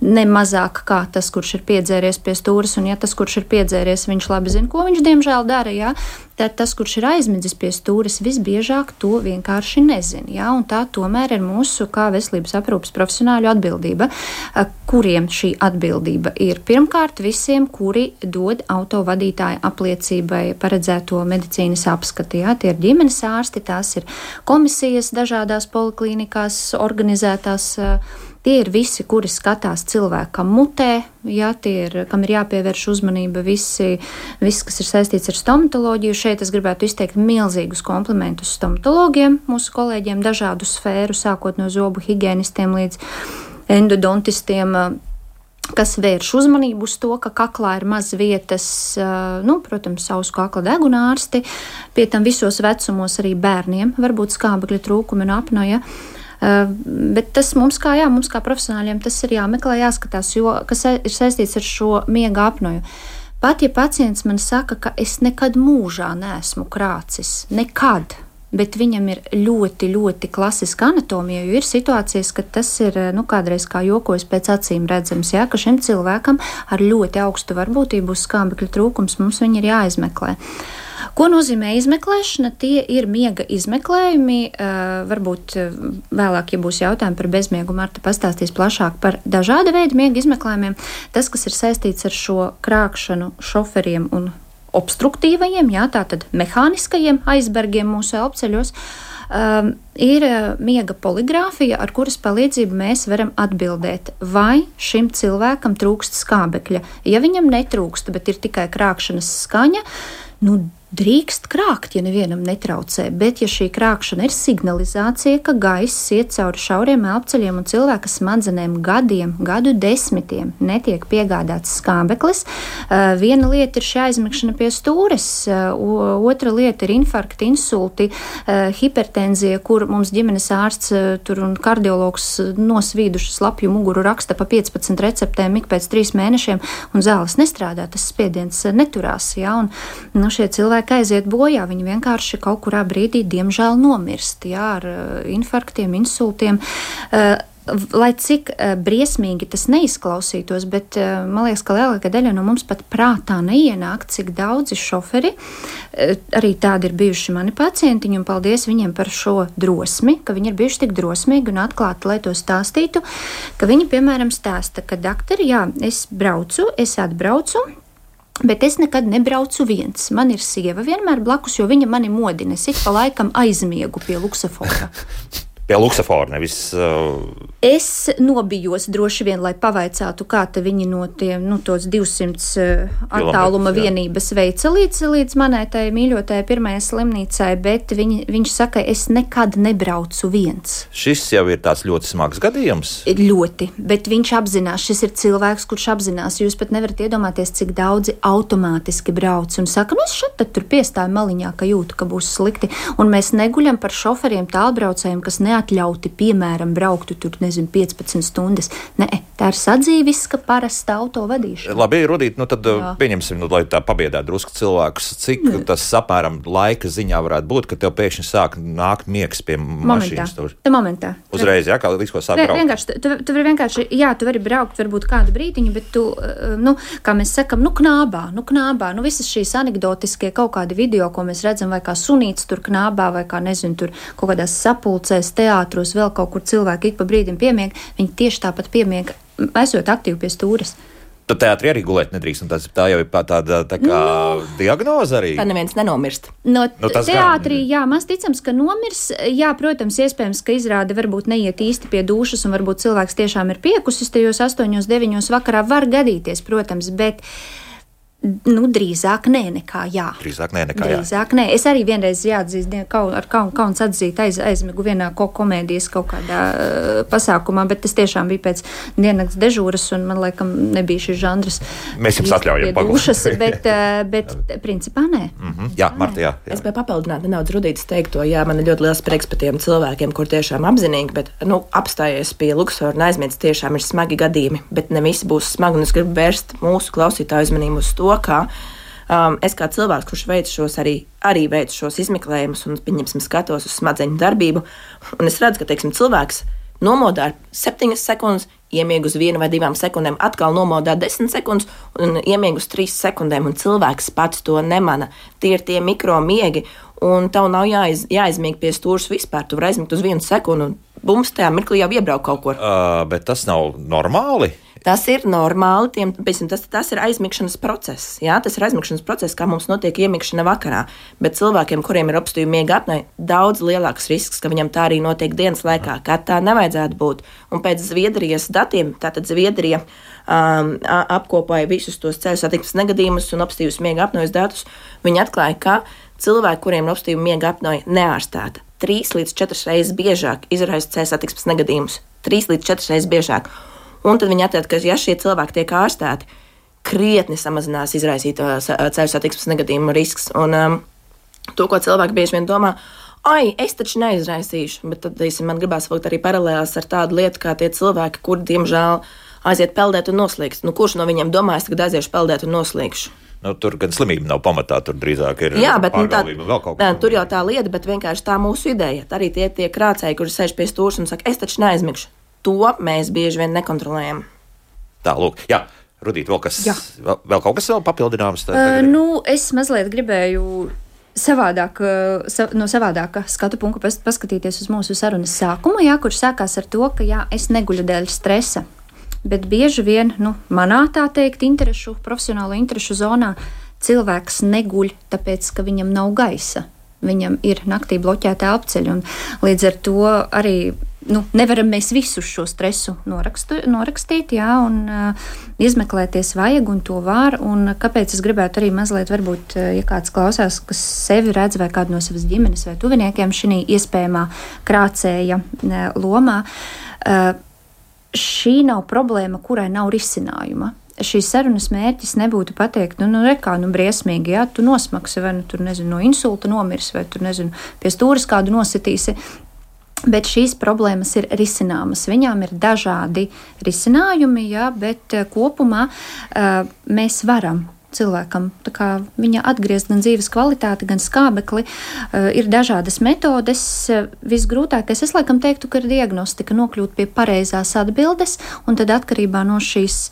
ne mazāk kā tas, kurš ir piedzēries pie stūres, un ja tas, kurš ir piedzēries, viņš labi zina, ko viņš diemžēl dara, jā, tad tas, kurš ir aizmidzis pie stūres, visbiežāk to vienkārši nezina, jā, un tā tomēr ir mūsu kā veselības aprūpes profesionāļu atbildība, kuriem šī atbildība ir pirmkārt visiem, kuri dod autovadītāju apliecībai paredzēto medicīnas apskati. Jā, tie ir ģimenes ārsti, tās ir komisijas dažādās poliklīnikās organizētās. Tie ir visi, kuri skatās cilvēkam mutē, jā, tie ir, kam ir jāpievērš uzmanība, visi, viss, kas ir saistīts ar stomatoloģiju. Šeit es gribētu izteikt milzīgus komplimentus stomatologiem, mūsu kolēģiem, dažādu sfēru, sākot no zobu higienistiem līdz endodontistiem, kas vērš uzmanību uz to, ka kaklā ir maz vietas, nu, protams, ausu kakla deguna ārsti, pie tam visos vecumos arī bērniem var būt skābekļa trūkumi un apnoja. Bet tas mums kā, jā, mums kā profesionāļiem tas ir jāmeklē, jāskatās, jo, kas ir saistīts ar šo miega apnoju. Pat ja pacients man saka, ka es nekad mūžā neesmu krācis, nekad, bet viņam ir ļoti, ļoti klasiska anatomija, jo ir situācijas, ka tas ir, nu, kādreiz kā jokojas pēc acīm redzams, jā, ka šim cilvēkam ar ļoti augstu varbūtību uz skābekļa trūkums mums viņi ir jāizmeklē. Ko nozīmē izmeklēšana? Tie ir miega izmeklējumi, varbūt vēlāk, ja būs jautājumi par bezmiegu, Marta pastāstīs plašāk par dažāda veida miega izmeklējumiem. Tas, kas ir saistīts ar šo krākšanu šoferiem un obstruktīvajiem, jā, tātad mehāniskajiem aizbergiem mūsu elpceļos, um, ir miega poligrāfija, ar kuras palīdzību mēs varam atbildēt, vai šim cilvēkam trūkst skābekļa. Ja viņam netrūkst, bet ir tikai krākšanas skaņa, nu, drīkst krākt, ja nevienam netraucē, bet ja šī krākšana ir signalizācija, ka gaiss iet cauri šauriem elpceļiem un cilvēka smadzenēm gadiem, gadu desmitiem netiek piegādāts skābeklis, viena lieta ir šī aizmigšana pie stūres, otra lieta ir infarkti, insulti, hipertenzija, kur mums ģimenes ārsts tur un kardiologs nosvīduši slapju muguru raksta pa piecpadsmit receptēm ik pēc trīs mēnešiem un zāles nestrādā, tas spiediens neturās, jā, un nu, šie cilvēki aiziet bojā, viņi vienkārši kaut kurā brīdī diemžēl nomirst, jā, ar infarktiem, insultiem. Lai cik briesmīgi tas neizklausītos, bet man liekas, ka lielākā daļa no mums pat prātā neienāk, cik daudzi šoferi, arī tādi ir bijuši mani pacientiņi, un paldies viņiem par šo drosmi, ka viņi ir bijuši tik drosmīgi un atklāti, lai to stāstītu, ka viņi, piemēram, stāsta, ka daktari, jā, es braucu, es atbraucu, bet es nekad nebraucu viens. Man ir sieva vienmēr blakus, jo viņa mani modina. Es ik pa laikam aizmiegu pie luksafora. Pie luksafora, nevis... Uh... Es nobijos droši vien, lai pavaicātu, kā te viņi no tiem, nu, tos divsimt uh, attāluma jā. vienības veica līdz, līdz manai tai mīļotai pirmajai slimnīcai, bet viņi, viņš saka, es nekad nebraucu viens. Šis jau ir tāds ļoti smags gadījums? Ļoti, bet viņš apzinās, šis ir cilvēks, kurš apzinās, jūs pat nevarat iedomāties, cik daudzi automātiski brauc un saka, nu es šeit tad tur piestāju maliņā, ka jūtu, ka būs slikti, un mēs neguļam par šoferiem tālbraucējiem, kas neatļauti, piemēram, brauktu tur, nezinu, piecpadsmit stundas. Nē, tā ir sadzīviska parasta auto vadīšana. Labi, Rudīt, nu tad Jā. pieņemsim, nu, lai tā pabiedētu drusku cilvēkus, cik Nē. tas apmēram laika ziņā varētu būt, ka tev pēkšņi sāk nākt miegs pie mašīnas. Momentā. Momentā. Uzreiz, jā, kā līdz ko sāk braukt. Vienkārši, tu, tu vari vienkārši, jā, tu vari braukt varbūt kādu brīdiņu, bet tu, nu, kā mēs sakam, nu knābā, nu knābā, nu visas šīs anekdotiskie kaut kādi video, ko mēs redzam, vai kā sunīts tur knābā, vai kā, nezinu, tur kaut kādās sapulcēs, teātros, vēl kaut kur cilvēki ik pa brīdim piemieg, viņi tieši tāpat piemieg esot aktīvi pie stūres. Tad teātrī arī gulēt nedrīkst, un tas, tā jau ir tāda tā kā no, diagnoze arī. Tā neviens nenomirst. No nu, teātrī, gan... jā, maz ticams, ka nomirs, jā, protams, iespējams, ka izrāde varbūt neiet īsti pie dušas, un varbūt cilvēks tiešām ir piekusis tajos astoņos, deviņos vakarā, var gadīties, protams, bet nu, drīzāk nē, nekā jā. Drīzāk nē, nekā jā. Drīzāk nē. Es arī vienreiz jāatzīst, kaut, ar kaun, kauns atzīt aiz, aizmigu vienā ko komēdijas kaut kādā uh, pasākumā, bet tas tiešām bija pēc diennakts dežūras, un man laikam nebija šis žanrs. Mēs jums atļaujam pagūšas, bet, uh, bet principā nē. Mm-hmm. Jā, Marta, jā, jā. Es biju papildināt nedaudz Rudītas teikto, jā, man ir ļoti liels prieks par tiem cilvēkiem, kur tiešām apzinīgi, bet, nu, apstājies pie Luksora un aizmirst, tiešām ir smagi gadījumi, bet ne visi būs smagi, un es gribu vērst mūsu klausītāju uzmanību uz to, ka um, es kā cilvēks, kurš veic šos arī, arī veic šos izmeklējumus un, pieņemsim, skatos uz smadzeņu darbību, un es redzu, ka, teiksim, cilvēks nomodā ar septiņas sekundes, iemieg uz vienu vai divām sekundēm, atkal nomodā desmit sekundes un iemieg uz trīs sekundēm, un cilvēks pats to nemana. Tie ir tie mikromiegi, un tev nav jāiz, jāizmieg pie stūras vispār. Tu vari aizmigt uz vienu sekundu, un bums tajā mirklī jau iebrauk kaut kur. Uh, bet tas nav normāli? Tas ir normāli, tiem, tas, tas ir aizmigšanas process. Jā, tas ir aizmigšanas process, kā mums notiek iemigšana vakarā. Bet cilvēkiem, kuriem ir obstruktīva miega apnoja, daudz lielāks risks, ka viņam tā arī notiek dienas laikā, kā tā nevajadzētu būt. Un pēc Zviedrijas datiem, tātad Zviedrija um, apkopoja visus tos ceļu satiksmes negadījumus un obstruktīvas miega apnojas datus, viņi atklāja, ka cilvēki, kuriem ir obstruktīva miega apnoja neārstēta, trīs līdz četras reizes biežāk izraisa ceļu satiksmes negadījumus. trīs līdz četras reizes biežāk. Un tad viņi atklāja, ka, ja šie cilvēki tiek ārstēti, krietni samazinās izraisīto ceļu satiksmes negadījumu risks. Un um, to, ko cilvēki bieži vien domā, ai, es taču neizraisīšu, bet tad, teiksim, man gribās vilkt arī paralēlās ar tādu lietu, kā tie cilvēki, kuri, diemžēl, aiziet peldēt un noslīgst. Nu, kurš no viņiem domājas, ka aiziešu peldēt un noslīgšu? Nu, tur gan slimība nav pamatā, tur drīzāk ir jā, bet, nu, tā, vēl kaut kas. Tur jau tā lieta, bet vienkārši tā mūsu ideja. Arī tie, tie krācēji, kuri sēž pie stūras un saka, es taču neaizmigšu. To mēs bieži vien nekontrolējam. Tā, lūk, jā, Rudīt, vēl, kas, vēl, vēl kaut kas vēl papildināms? Tā, uh, nu, es mazliet gribēju savādāk, sa, no savādāka skatu punktu pas, paskatīties uz mūsu sarunas sākumu, jā, kurš sākās ar to, ka jā, es neguļu dēļ stresa, bet bieži vien, nu, manā tā teikt, interešu, profesionālo interešu zonā cilvēks neguļ, tāpēc, ka viņam nav gaisa. Viņam ir naktī bloķēta elpceļa, un līdz ar to arī nu, nevaram mēs visu šo stresu norakstu, norakstīt, jā, un uh, izmeklēties vajag, un to var, un kāpēc es gribētu arī mazliet, varbūt, ja kāds klausās, kas sevi redz vai kādu no savas ģimenes vai tuviniekiem šī iespējamā krācēja uh, lomā, uh, šī nav problēma, kurai nav risinājuma. Šīs sarunas mērķis nebūtu pateikt, nu, nu rekā, nu, briesmīgi, jā, tu nosmaksi, vai, nu, tur, nezinu, no insulta nomirs, vai, tur, nezinu, pie stūras kādu nositīsi, bet šīs problēmas ir risināmas. Viņām ir dažādi risinājumi, jā, bet kopumā uh, mēs varam cilvēkam tā kā viņa atgriezt gan dzīves kvalitāti, gan skābekli. Uh, ir dažādas metodes. Visgrūtākais, es laikam teiktu, ka ir diagnostika, nokļūt pie pareizās atbildes, un tad atkarībā no šīs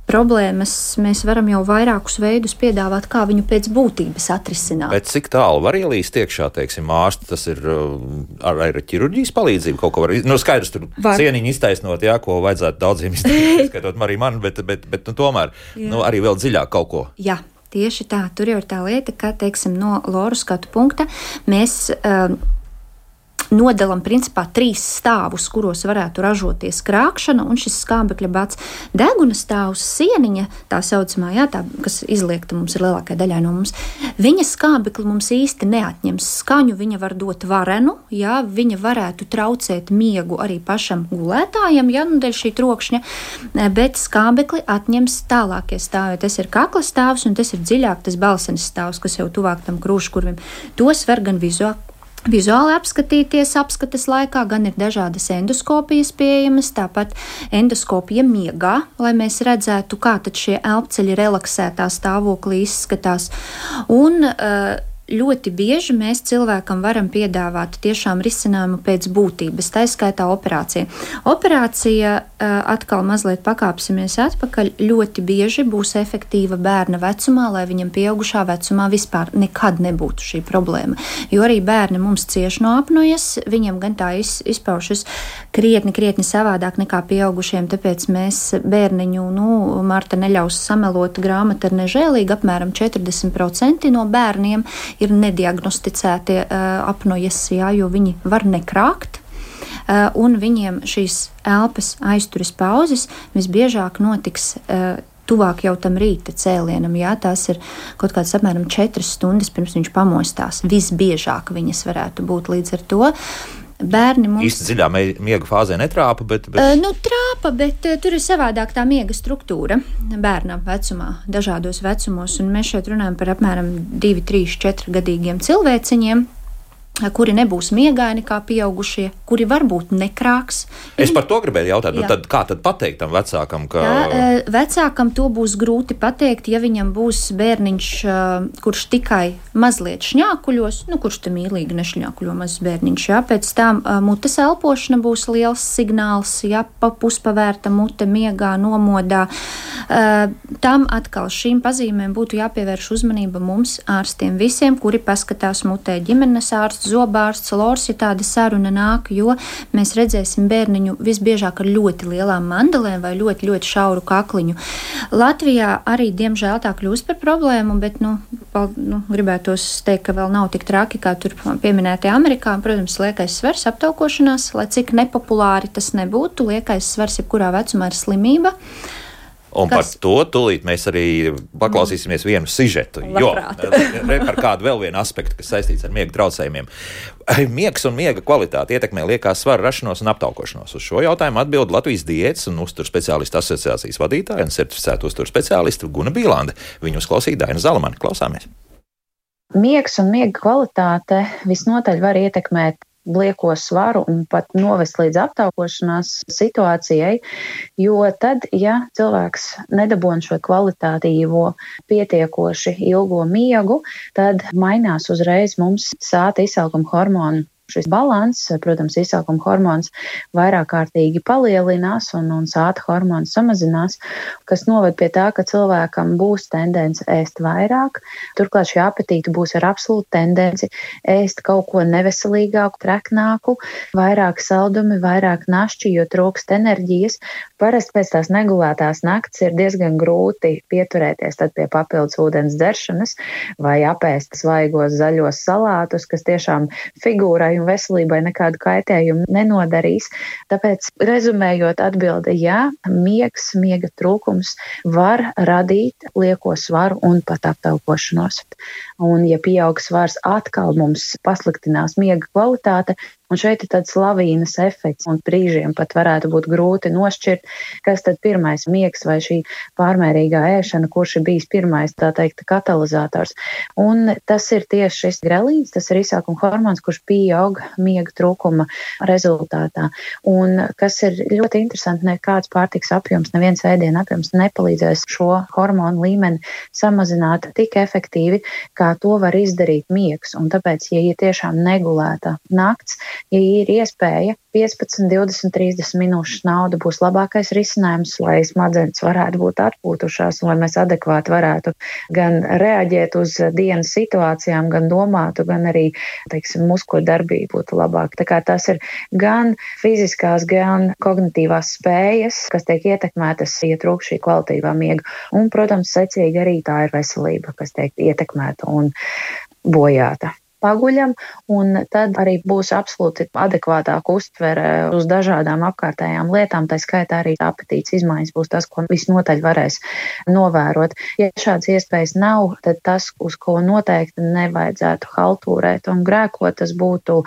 problēmas mēs varam jau vairākus veidus piedāvāt, kā viņu pēc būtības atrisināt. Bet cik tālu var ielīst iekšā, teiksim, ārsti, tas ir ar, ar ķirurģijas palīdzību kaut ko var, nu skaidrs, tur var. Cieniņu iztaisnot, jā, ko vajadzētu daudziem iztaisnot, skaitot arī man, bet, bet, bet nu, tomēr, jā. Nu, arī vēl dziļāk kaut ko. Jā, tieši tā, tur jau ir tā lieta, ka, teiksim, no Loru skatu punkta mēs um, nodalām principā trīs stāvus, kuros varētu ražoties krākšana, un šis skābekļa bats. Deguna stāvs, sieniņa, tā saucamā, jā, tā, kas izliekta mums ir lielākajai daļai no mums, viņa skābekli mums īsti neatņems skaņu, viņa var dot varenu, jā, viņa varētu traucēt miegu arī pašam gulētājam, jā, nu, dēļ šī trokšņa, bet skābekli atņems tālākie stāvi. Tas ir kakla stāvs, un tas ir dziļāk tas balsenes stāvs, kas jau tuvāk tam krūškurvim. Tos var gan vizuāli Vizuāli apskatīties apskates laikā, gan ir dažādas endoskopijas pieejamas, tāpat endoskopija miegā, lai mēs redzētu, kā tad šie elpceļi relaksētā stāvoklī izskatās. Un ļoti bieži mēs cilvēkam varam piedāvāt tiešām risinājumu pēc būtības, tā skaitā operācija. Operācija atkal mazliet pakāpsimies atpakaļ, ļoti bieži būs efektīva bērna vecumā, lai viņam pieaugušā vecumā vispār nekad nebūtu šī problēma. Jo arī bērni mums cieš no apnojas, viņam gan tā iz, izpaušas krietni, krietni savādāk nekā pieaugušiem, tāpēc mēs bērniņu, nu, Marta neļaus samelot, grāmata ir nežēlīga, apmēram četrdesmit procenti no bērniem ir nediagnosticētie uh, apnojas, jā, jo viņi var nekrākt. Uh, un viņiem šīs elpas aizturas pauzes visbiežāk notiks uh, tuvāk jau tam rīta cēlienam. Jā, tās ir kaut kādas apmēram četras stundas pirms viņš pamostās. Visbiežāk viņas varētu būt līdz ar to. Bērni mums īsti dziļā miega fāzē netrāpa, bet... bet... Uh, nu, trāpa, bet uh, tur ir savādāk tā miega struktūra bērnam vecumā, dažādos vecumos, un mēs šeit runājam par apmēram divi, trīs, četri gadīgiem cilvēciņiem, kuri nebūs miegaini kā pieaugušie, kuri varbūt nekrāks. Es par to gribēju jautāt, nu tad kā tad pateikt tam vecākam, ka... Tā, vecākam to būs grūti pateikt, ja viņam būs bērniņš, kurš tikai mazliet šņākuļos, nu kurš te mīlīgi nešņākuļo mazs bērniņš, jā, pēc tam mutes elpošana būs liels signāls, jā, pa puspavērta mute miegā, nomodā. Tam atkal šīm pazīmēm būtu jāpievērš uzmanība mums ārstiem visiem, kuri paskatās mutē, ģimenes ārsts, zobārsts, lors, ja tāda saruna nāk, jo mēs redzēsim bērniņu visbiežāk ar ļoti lielām mandelēm vai ļoti, ļoti šauru kakliņu. Latvijā arī, diemžēl, tā kļūst par problēmu, bet, nu, pal, nu gribētos teikt, ka vēl nav tik traki, kā tur pieminētie Amerikā. Protams, liekais svars aptaukošanās, lai cik nepopulāri tas nebūtu, liekais svars jebkurā vecumā ir slimība. Un kas? Par to tūlīt mēs arī paklausīsimies vienu sižetu, jo par kādu vēl vienu aspektu, kas saistīts ar miega traucējumiem. Miegs un miega kvalitāte ietekmē liekās svara rašanos un aptaukošanos. Uz šo jautājumu atbild Latvijas diētas un uzturu speciālistu asociācijas vadītāja un certificēta uzturu speciāliste Guna Bīlande. Viņu uzklausīja Daina Zalamane. Klausāmies. Miegs un miega kvalitāte visnotaļ var ietekmēt lieko svaru un pat novest līdz aptaukošanās situācijai, jo tad, ja cilvēks nedabūna šo kvalitatīvo, pietiekoši ilgo miegu, tad mainās uzreiz mums sāta izsalkuma hormonu. Šis balans, protams, izsalkuma hormons vairāk kārtīgi palielinās un, un sāta hormons samazinās, kas noved pie tā, ka cilvēkam būs tendence ēst vairāk. Turklāt šī apetīte būs ar absolūtu tendenci ēst kaut ko neveselīgāku, treknāku, vairāk saldumi, vairāk našķi, jo trūkst enerģijas. Parasti pēc tās negulētās nakts ir diezgan grūti pieturēties tad pie papildus ūdens dzeršanas vai apēst svaigos zaļos salātus, kas tiešām figūrai un veselībai nekādu kaitējumu nenodarīs. Tāpēc, rezumējot, atbilde jā, miegs, miega trūkums var radīt lieko svaru un pat aptaukošanos. Un, ja pieaug svars, atkal mums pasliktinās miega kvalitāte, un šeit ir tāds lavīnas efekts, un brīžiem pat varētu būt grūti nošķirt, kas tad pirmais miegs vai šī pārmērīgā ēšana, kurš ir bijis pirmais, tā teikt, katalizators. Un tas ir tieši šis grelīns, tas ir izsākuma hormons, kurš pieaug miega trūkuma rezultātā. Un kas ir ļoti interesanti, nekāds pārtiks apjoms, neviens ēdiena apjoms nepalīdzēs šo hormonu līmeni samazināt tik efektīvi, kā to var izdarīt miegs. Un tāpēc, ja ir tiešām negulēta nakts, ja ir iespēja piecpadsmit, divdesmit, trīsdesmit minūšu nauda būs labākais risinājums, lai smadzenes varētu būt atpūtušās un lai mēs adekvāti varētu gan reaģēt uz dienas situācijām, gan domātu, gan arī, teiksim, muskuļu darbība būtu labāka. Tā kā tas ir gan fiziskās, gan kognitīvās spējas, kas tiek ietekmētas, ja trūkst šī kvalitīvā miega. Un, protams, secīgi arī tā ir veselība, kas tiek ietekmēta un bojāta. Paguļam, un tad arī būs absolūti adekvātāka uztvere uz dažādām apkārtējām lietām, tā skaitā arī apetītes izmaiņas būs tas, ko visnotaļ varēs novērot. Ja šāds iespējas nav, tad tas, uz ko noteikti nevajadzētu haltūrēt un grēkot, tas būtu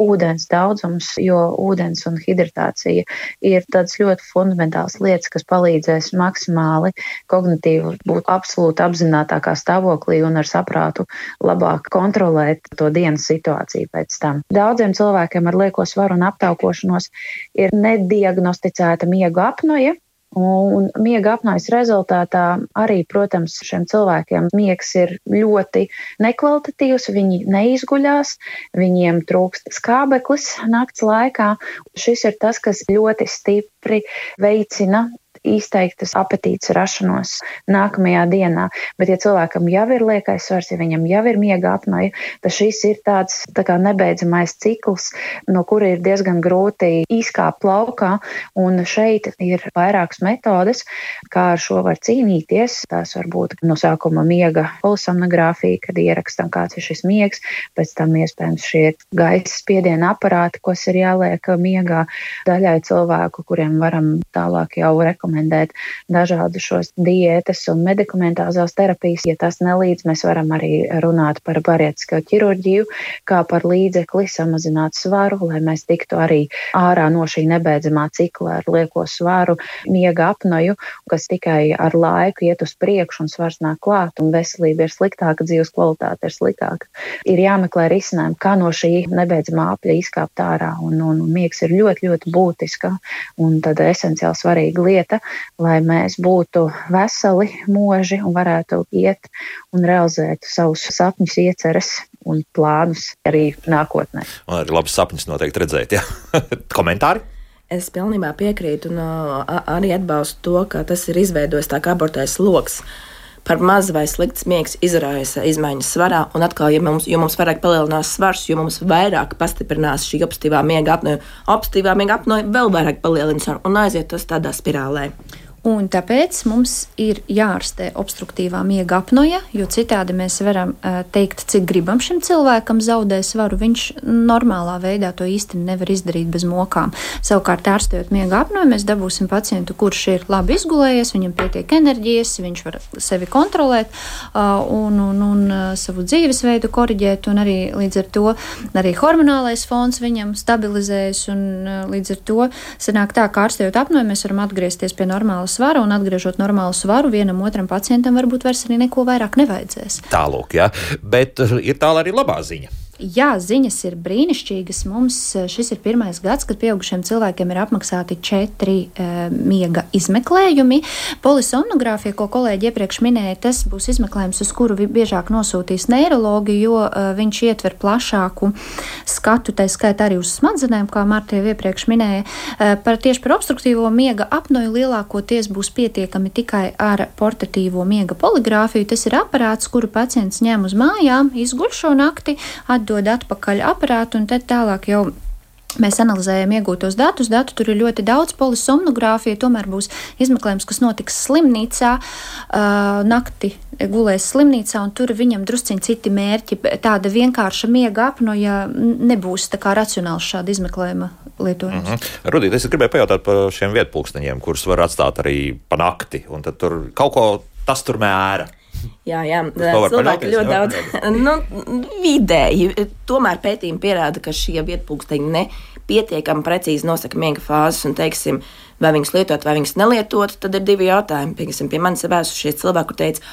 ūdens daudzums, jo ūdens un hidratācija ir tāds ļoti fundamentāls lietas, kas palīdzēs maksimāli kognitīvi būt absolūti apzinātākā stāvoklī un ar saprātu labāk kontrolēt to dienas situāciju pēc tam. Daudziem cilvēkiem ar lieko svaru un aptaukošanos ir nediagnosticēta miega apnoja, Un miega apnojas rezultātā arī, protams, šiem cilvēkiem miegs ir ļoti nekvalitatīvs, viņi neizguļās, viņiem trūkst skābeklis nakts laikā. Šis ir tas, kas ļoti stipri veicina izteiktas apetītes rašanos nākamajā dienā. Bet, ja cilvēkam jau ir liekais svars, ja viņam jau ir miega apnoja, tad šis ir tāds tā kā nebeidzamais cikls, no kura ir diezgan grūti izkāpt laukā. Un šeit ir vairākas metodes, kā ar šo var cīnīties. Tās var būt no sākuma miega polisomnogrāfija, kad ierakstam, kāds ir šis miegs, pēc tam iespējams šie gaisa spiediena aparāti, kas ir jāliek miegā daļai cilvēku, kuriem varam tālāk jau rekomendēt dažādu šos diētas un medikamentāzās terapijas. Ja tas nelīdz, mēs varam arī runāt par bariatrisko ķirurģiju, kā par līdzekli samazināt svaru, lai mēs tiktu arī ārā no šī nebeidzamā cikla ar lieko svaru, miega apnoju, kas tikai ar laiku iet uz priekšu un svars nāk klāt un veselība ir sliktāka, dzīves kvalitāte ir sliktāka. Ir jāmeklē risinājumi, kā no šī nebeidzamā apļa izkāpt ārā, un, un, un miegs ir ļoti, ļoti būtiska un tad esenciāli svarīga lieta, lai mēs būtu veseli, moži un varētu iet un realizēt savus sapņus, ieceres un plānus arī nākotnē. Un arī labus sapņus noteikti redzēt, jā. Komentāri? Es pilnībā piekrītu un arī atbalstu to, ka tas ir izveidojis tā kā abortais loks. Par maz vai slikts miegs izraisa izmaiņas svarā, un atkal, ja mums, jo mums vairāk palielinās svars, jo mums vairāk pastiprinās šī obstruktīvā miega apnoja, obstruktīvā miega apnoja vēl vairāk palielina svaru un aiziet tas tādā spirālē. Un tāpēc mums ir jārastē obstruktīvā miega apnoja, jo citādi mēs varam uh, teikt, cik gribam šim cilvēkam zaudē svaru. Viņš normālā veidā to īsti nevar izdarīt bez mokām. Savukārt, ārstējot miega apnoju, mēs dabūsim pacientu, kurš ir labi izgulējies, viņam pietiek enerģijas, viņš var sevi kontrolēt uh, un, un, un uh, savu dzīvesveidu koriģēt, un arī līdz ar to arī hormonālais fons viņam stabilizējas, un uh, līdz ar to sanāk tā, ka ārstējot apnoju, mēs varam atgriezties pie normālas svaru, un atgriežot normālu svaru, vienam otram pacientam varbūt vairs arī neko vairāk nevajadzēs. Tālūk, jā. Bet ir tālāk arī labā ziņa. Jā, ziņas ir brīnišķīgas. Mums šis ir pirmais gads, kad pieaugušiem cilvēkiem ir apmaksāti četri e, miega izmeklējumi. Polisomnogrāfija, ko kolēģi iepriekš minēja, tas būs izmeklējums, uz kuru biežāk nosūtīs neirologi, jo e, viņš ietver plašāku skatu, tā skaitā arī uz smadzenēm, kā Marta jau iepriekš minēja. E, par, tieši par obstruktīvo miega apnoju lielākoties būs pietiekami tikai ar portatīvo miega poligrāfiju. Tas ir aparāts, kuru pacients ņem uz mājām, izguļ šo nakti, atdod atpakaļ aparātu, un tad tālāk jau mēs analizējam iegūtos datus. Datu tur ir ļoti daudz. Polisomnogrāfija tomēr būs izmeklējums, kas notiks slimnīcā, uh, nakti gulēs slimnīcā, un tur viņam drusciņi citi mērķi. Tāda vienkārša miega apnoja nebūs tā kā racionāls šāda izmeklējuma lietojums. Mm-hmm. Rudīt, es gribēju pajautāt par šiem vietpulksteņiem, kurus var atstāt arī pa nakti, un tad tur kaut ko tas tur mēra. Jā, jā, cilvēki ļoti daudz nu, vidēji. Tomēr pētījumi pierāda, ka šie vietpulksteņi nepietiekami precīzi nosaka miega fāzes, un teiksim, vai viņus lietot, vai viņus nelietot, tad ir divi jautājumi. Piemēram, pie manis ir vēsušies cilvēki, kur teica,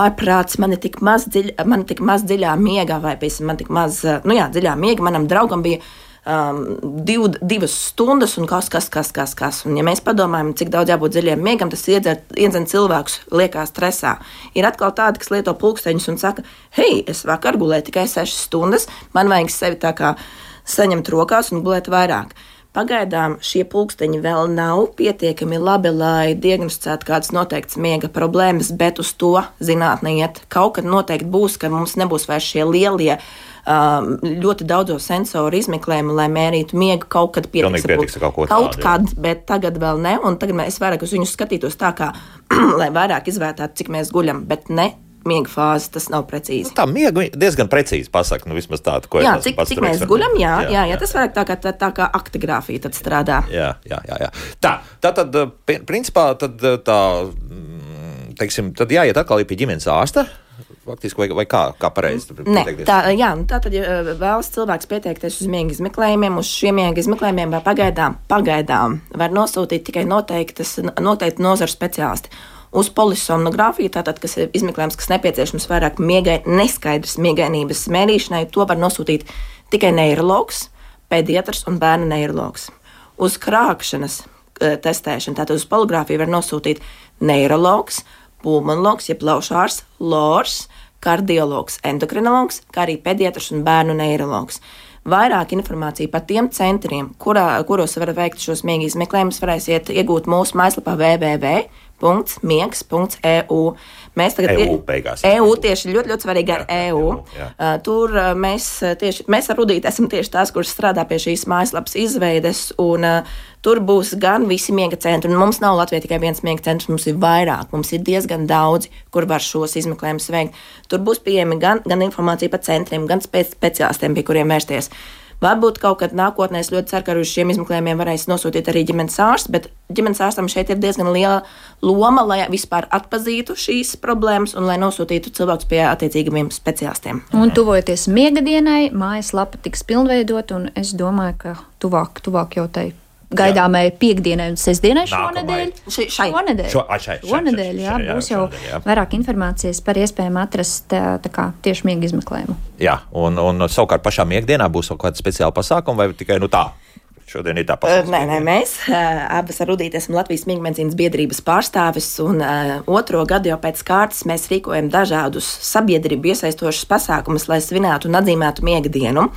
ārprāts, man ir tik maz, dziļ, man tik maz dziļā miegā, vai piemēram, man tik maz, nu jā, dziļā miega, manam draugam bija Um, div, divas stundas un kas, kas, kas, kas, kas. Un ja mēs padomājam, cik daudz jābūt dziļiem miegam, tas iedzen cilvēkus liekā stresā. Ir atkal tādi, kas lieto pulksteņus un saka, hei, es vakar gulēju tikai sešas stundas, man vajag sevi tā kā saņemt rokās un gulēt vairāk. Pagaidām šie pulksteņi vēl nav pietiekami labi, lai diagnosticētu kādas noteiktas miega problēmas, bet uz to zinātne iet. Kaut kad noteikti būs, ka mums nebūs vairs šie lielie ļoti daudzo sensoru izmeklējumu, lai mērītu miegu kaut kad pietiks. pietiks kaut ko kaut tādu, kad, bet tagad vēl ne, un tagad mēs vairāk uz viņus skatītos tā kā, lai vairāk izvērtātu, cik mēs guļam, bet ne miega fāzi, tas nav precīzi. Nu, tā miega diezgan precīzi pasaka, nu vismaz tādu, ko jā, es cik, pats cik mēs guļam, jā, jā, jā, jā, tas vairāk tā kā, tā, tā kā aktigrāfija tad strādā. Jā, jā, jā, jā. Tā, tā tad, principā, tad tā, teiksim, tad jāiet atkal pie ģimenes ārsta, faktiski, vai, vai kā, kā pareizi? Nē, tā, jā, tā tad, ja vēlas cilvēks pieteikties uz miega izmeklējumiem, uz šiem miega izmeklējumiem vai pagaidām, pagaidām var nosūtīt tikai noteiktas, noteikti nozaru speciālisti. Uz polisomnogrāfiju, tātad, kas ir izmeklējums, kas nepieciešams vairāk miegai, neskaidrs miegainības mērīšanai, to var nosūtīt tikai neirologs, pediatrs un bērnu neirologs. Uz krākšanas testēšanu. Tātad uz poligráfiju var nosūtīt neirologs, pulmonologs, jeb plaušārs, lors, kardiologs, endokrinologs, kā arī pediatrs un bērnu neirologs. Vairāk informācija par tiem centriem, kurā, kuros var veikt šos miega izmeklējumus, varēsiet iegūt mūsu mājaslapā w w w punkts miegs punkts e u. Mēs tagad E U beigās. E U tieši ļoti, ļoti svarīgi ar E U. Jā. Uh, tur uh, mēs tieši, mēs ar Rudīti esam tieši tās, kuras strādā pie šīs mājaslapas izveides, un uh, tur būs gan visi miega centri, un mums nav Latvijā tikai viens miega centrs, mums ir vairāk, mums ir diezgan daudzi, kur var šos izmeklējumus veikt. Tur būs pieejami gan, gan informācija par centriem, gan spēc, speciālistiem, pie kuriem vērsties. Varbūt kaut kad nākotnē es ļoti ceru, ka uz šiem izmeklējumiem varēs nosūtīt arī ģimenes ārsts, bet ģimenes ārstam šeit ir diezgan liela loma, lai vispār atpazītu šīs problēmas un lai nosūtītu cilvēkus pie attiecīgiem speciālistiem. Un tuvojoties miegadienai, mājaslapa tiks pilnveidot, un es domāju, ka tuvāk, tuvāk jau tai gaidāmai piekdienai un sestdienai šonedēļ. Ši, šai. Šonedēļ. Šo, a, šai, šai, šonedēļ, jā, šai, jā, būs jau šonedēļ, jā. vairāk informācijas par iespējām atrast tā, tā kā tieši miega izmeklējumu. Jā, un, un savukārt pašā miegdienā būs kaut kāda speciāla pasākuma vai tikai nu tā? Šodien ir tā pasaules. Nē, nē, mēs uh, abas ar Rudīti esam Latvijas miega medicīnas biedrības pārstāvis, un uh, otro gadu jau pēc kārtas mēs rīkojam dažādus sabiedrību iesaistošus pasākumus, lai svinētu un atzīmētu miega dienu.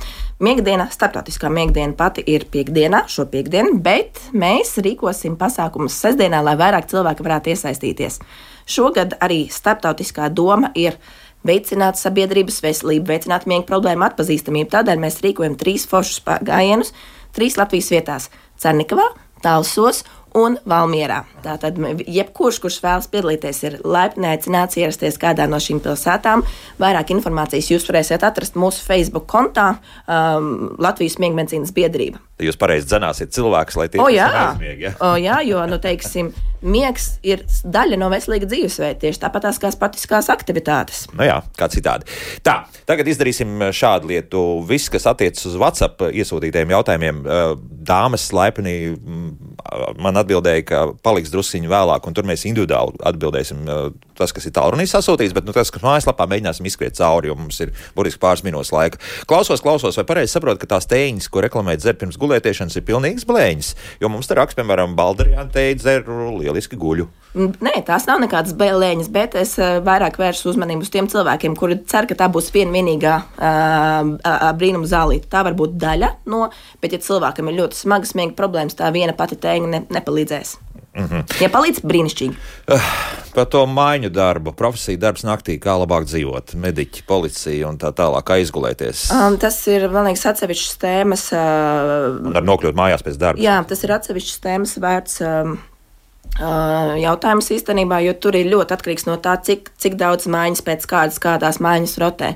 Miega diena, starptautiskā miega diena pati ir piekdienā, šo piekdienu, bet mēs rīkosim pasākumus sestdienā, lai vairāk cilvēki varētu iesaistīties. Šogad arī starptautiskā doma ir veicināt sabiedrības veselību, veicināt miega problēmu atpazīstamību. Tādēļ mēs rīkojam trīs foršus gājienus, trīs Latvijas vietās - Cernikavā, Talsos un Valmierā. Tātad jebkurš, kurš vēlas piedalīties, ir laipni aicināts ierasties kādā no šīm pilsētām. Vairāk informācijas jūs varēsiet atrast mūsu Facebook kontā um, Latvijas miega medicīnas biedrība. Jūs pareizi dzenāsiet cilvēkus, lai tie O jā, aizmieg, ja? o jā, jo, nu, teiksim, miegs ir daļa no veselīga dzīvesveida, tieši tāpat tās kā sportiskās aktivitātes. Nu jā, kā citādi. Tā, tagad izdarīsim šādu lietu. Viss, kas attiecas uz WhatsApp iesūtītajiem jautājumiem, dāmas laipni man atbildēja, ka paliks drusciņi vēlāk, un tur mēs individuāli atbildēsim tas, kas ir tālrunī sasūtīts, bet nu, tas, kas mājaslapā mēģināsim izskriet cauri, jo mums ir burtiski pāris minūtes laika. Klausos, klausos, vai pareizi saprotu, ka tās tēņas, ko reklamēt dzer pirms gulētiešanas, ir pilnīgas blēņas, jo mums te raksts, piemēram, Balderijāna teica, dzer lieliski guļu. Nē, tās nav nekādas bēlēņas, bet es vairāk vēršu uzmanību uz tiem cilvēkiem, kuri cer, ka tā būs viena vienīgā uh, brīnuma zālīte. Tā var būt daļa no, bet ja cilvēkam ir ļoti smagas miega problēmas, tā viena pati tēņa ne, nepalīdzēs. Mm-hmm. Ja palīdz, brīnišķīgi. Uh, par to maiņu darbu, profesiju darbs naktī, kā labāk dzīvot, mediķi, policija un tā tālāk, kā izgulēties. Um, tas ir, man liekas, atsevišķas tēmas. Uh, un ar nokļūt mājās pēc darba. Jā, tas ir atsevišķas tēmas vērts um, uh, jautājums īstenībā, jo tur ir ļoti atkarīgs no tā, cik, cik daudz maiņas pēc kādas, kādās maiņas rotē.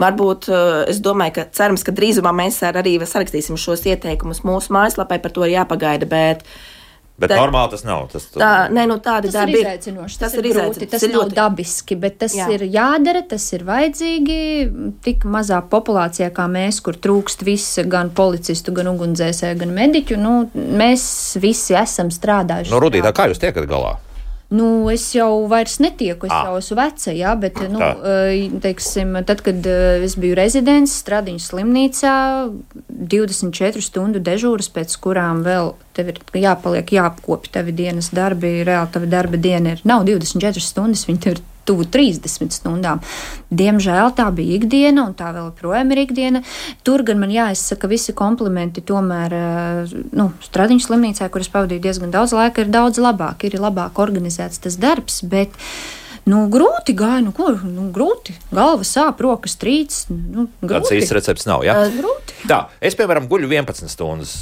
Varbūt, uh, es domāju, ka cerams, ka drīzumā mēs ar arī sarakstīsim šos ieteikumus mūsu mājaslapai, par to ir jāpagaida, bet Bet tā, normāli tas nav. Tas, tā, ne, nu, tādi tas darbi ir izaicinoši. Tas, tas ir grūti, tas, tas ir nav ļoti dabiski, bet tas jā. ir jādara, tas ir vajadzīgi. Tik mazā populācijā kā mēs, kur trūkst visi, gan policistu, gan ugunsdzēsēju, gan mediķu, nu, mēs visi esam strādājuši. Nu, Rudītā, kā jūs tiekat galā? Nu, es jau vairs netieku, es ah. jau esmu veca, jā, bet, nu, teiksim, tad, kad es biju rezidents Stradiņu slimnīcā, divdesmit četru stundu dežūras, pēc kurām vēl tev ir jāpaliek, jāapkopi tavi dienas darbi, reāli tavi darba diena ir, nav divdesmit četras stundas, viņi tev ir tuvu trīsdesmit stundām. Diemžēl tā bija ikdiena, un tā vēl projām ir ikdiena. Tur gan man jāizsaka visi komplimenti, tomēr, nu, Stradiņu slimnīcā, kur es pavadīju diezgan daudz laika, ir daudz labāk, ir labāk organizēts tas darbs, bet, nu, grūti gāja, nu, ko, nu, grūti, galva sāp, rokas trīc, nu, grūti. Tāds īsts recepts nav, jā? Uh, grūti. Tā, es, piemēram, guļu vienpadsmit stundas.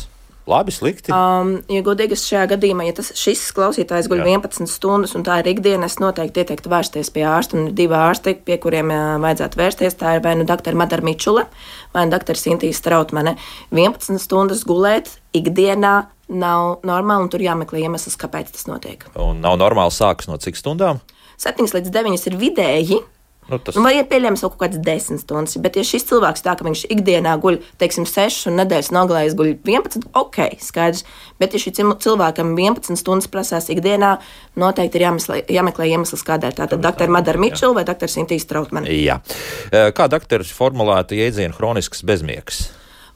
Labi, slikti. Um, ja godīgi šajā gadījumā, ja tas, šis klausītājs guļ Jā. vienpadsmit stundas un tā ir ikdiena, es noteikti ieteiktu vērsties pie ārsta, un ir divi ārsti, pie kuriem jā, vajadzētu vērsties. Tā ir vai nu doktora Madara Mičule, vai nu doktora Sintīs Strautmane. vienpadsmit stundas gulēt ikdienā nav normāli, un tur jāmeklē iemesls, kāpēc tas notiek. Un nav normāli sākas no cik stundām? septiņas līdz deviņas ir vidēji. Nu, tas... Nu, vai ir pieļams kaut kāds desmit stundas, bet ja šis cilvēks tā, ka viņš ikdienā guļ, teiksim, sešas un nedēļas nogalējas guļ vienpadsmit, ok, skaidrs, bet ja šī cilvēkam vienpadsmit stundas prasās ikdienā, noteikti ir jāmeklē, jāmeklē iemesls, kādēļ. Tātad doktora Madara Mičula vai doktora Sintīs Strautmane. Jā. Kā doktors formulētu jēdzienu hronisks bezmiegs?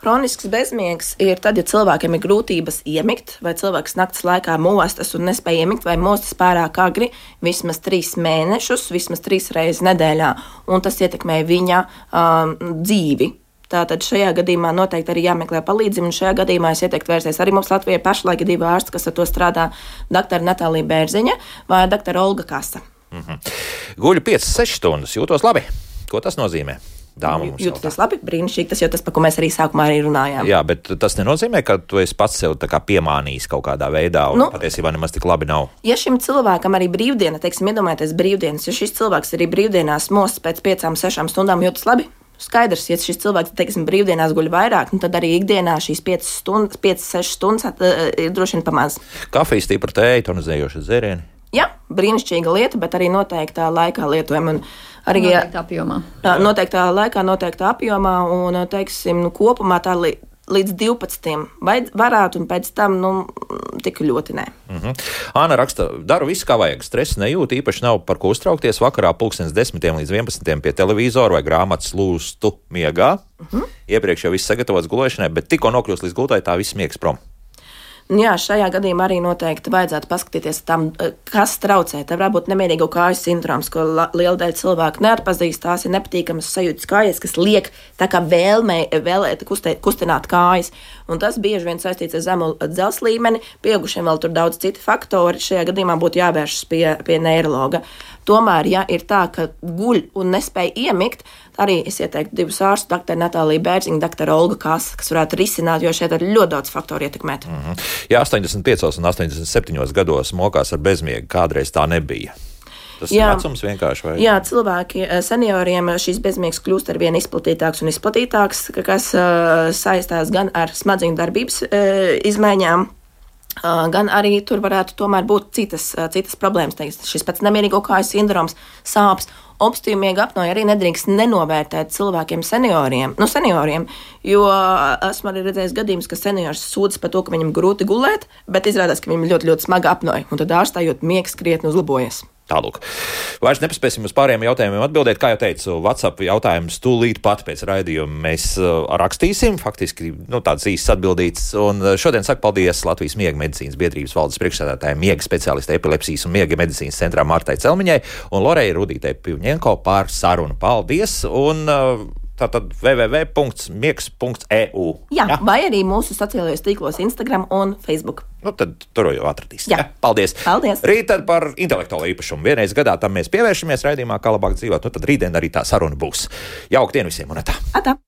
Hronisks bezmiegs ir tad, ja cilvēkiem ir grūtības iemigt, vai cilvēks naktas laikā mostas un nespēj iemigt, vai mostas pārāk agri, vismaz trīs mēnešus, vismaz trīs reizes nedēļā, un tas ietekmē viņa um, dzīvi. Tātad šajā gadījumā noteikti arī jāmeklē palīdzību, un šajā gadījumā es ieteiktu vērsties arī mums Latvijai pašlaik divi ārsti, kas ar to strādā, doktora Natālija Bērziņa vai doktora Olga Kasa. Mm-hmm. Guļu piecas sešas stundas, jūtos labi. Ko tas nozīmē? Dāma mums jūtas labi, brīnišķīgi, tas jau tas, par ko mēs arī sākumā arī runājām. Jā, bet tas nenozīmē, ka tu esi pats sev tā kā piemānījis kaut kādā veidā, un nu, patiesībā nemaz tik labi nav. Ja šim cilvēkam arī brīvdiena, teiksim, iedomājieties brīvdienas, ja šis cilvēks arī brīvdienās mostas pēc piecām, sešām stundām jūtas labi, skaidrs, ja šis cilvēks, teiksim, brīvdienās guļ vairāk, nu tad arī ikdienā šīs piecas stundas, piecas, sešas stundas uh, ir droši vien pamaz. Kafijas, stipra tēja, tonizējoša dzērieni. Jā, brīnišķīga lieta, bet arī noteiktā laikā lietojama. Arī noteiktā apjomā. Noteiktā laikā, noteiktā apjomā un, teiksim, nu, kopumā tā li, līdz divpadsmitiem vai varētu un pēc tam, nu, tik ļoti nē. Mm-hmm. Āna raksta, daru visu, kā vajag. Stresa nejūt, īpaši nav par ko uztraukties. Vakarā pulkstens desmitiem līdz vienpadsmitiem pie televizora vai grāmatas lūstu miegā. Mm-hmm. Iepriekš jau viss sagatavots gulēšanai, bet tikko nokļūst līdz gultai, tā viss miegs prom. Jā, šajā gadījumā arī noteikti vajadzētu paskatīties tam, kas traucē. Tā varētu būt nemierīgo kāju sindroms, ko la, liela daļa cilvēku neatpazīst. Tās ir nepatīkamas sajūtas kājas, kas liek tā kā vēlmē, vēlēt kustē, kustināt kājas. Un tas bieži vien saistīts ar zemu dzelzs līmeni. Pieaugušiem vēl tur daudz citi faktori. Šajā gadījumā būtu jāvēršas pie, pie neirologa. Tomēr, ja ir tā, ka guļ un nespēj iemigt, arī es ieteiktu divus ārstus, doktora Natālija Bērziņa, doktora Olga Kasa, kas varētu risināt, jo šeit ir ļoti daudz faktoru ietekmēt. Mm-hmm. Ja astoņdesmit piecos un astoņdesmit septiņos gados mokās ar bezmiegu, kādreiz tā nebija. Tas jā, ir vecums vienkārši? Vai? Jā, cilvēki, senioriem šīs bezmiegs kļūst ar vien izplatītāks un izplatītāks, kas uh, saistās gan ar smadzeņu darbības uh, izmaiņām, Uh, gan arī tur varētu tomēr būt citas, uh, citas problēmas. Teiks, šis pats nemierīgo kāju sindroms, sāpes, obstrutīva miega apnoja arī nedrīkst nenovērtēt cilvēkiem senioriem, nu senioriem, jo uh, esmu arī redzējis gadījumus, ka seniors sūdzas par to, ka viņam grūti gulēt, bet izrādās, ka viņam ļoti, ļoti smaga apnoja, un tad ārstājot miegs krietni uzlabojas. Tālūk. Vairs nepaspēsim uz pārējiem jautājumiem atbildēt. Kā jau teicu, WhatsApp jautājumus tūlīt pat pēc raidījuma mēs uh, rakstīsim. Faktiski nu, tāds īsts atbildīts. Un šodien saku paldies Latvijas miega medicīnas biedrības valdes priekšsēdētājai, miega speciālistei epilepsijas un miega medicīnas centrā Martai Celmiņai un Lorei Rudītei Pivņenko par sarunu. Paldies! Un, uh, Tātad w w w punkts miegs punkts e u. Jā, ja? Vai arī mūsu sociālajos tīklos Instagram un Facebook. Nu, tad tur jau atradīs. Jā. Ja? Paldies. Paldies. Rīt tad par intelektuālo īpašumu. Vienreiz gadā tam mēs pievēršamies raidījumā, kā labāk dzīvot. Nu, tad rītdien arī tā saruna būs. Jauka diena visiem un tā. Atā.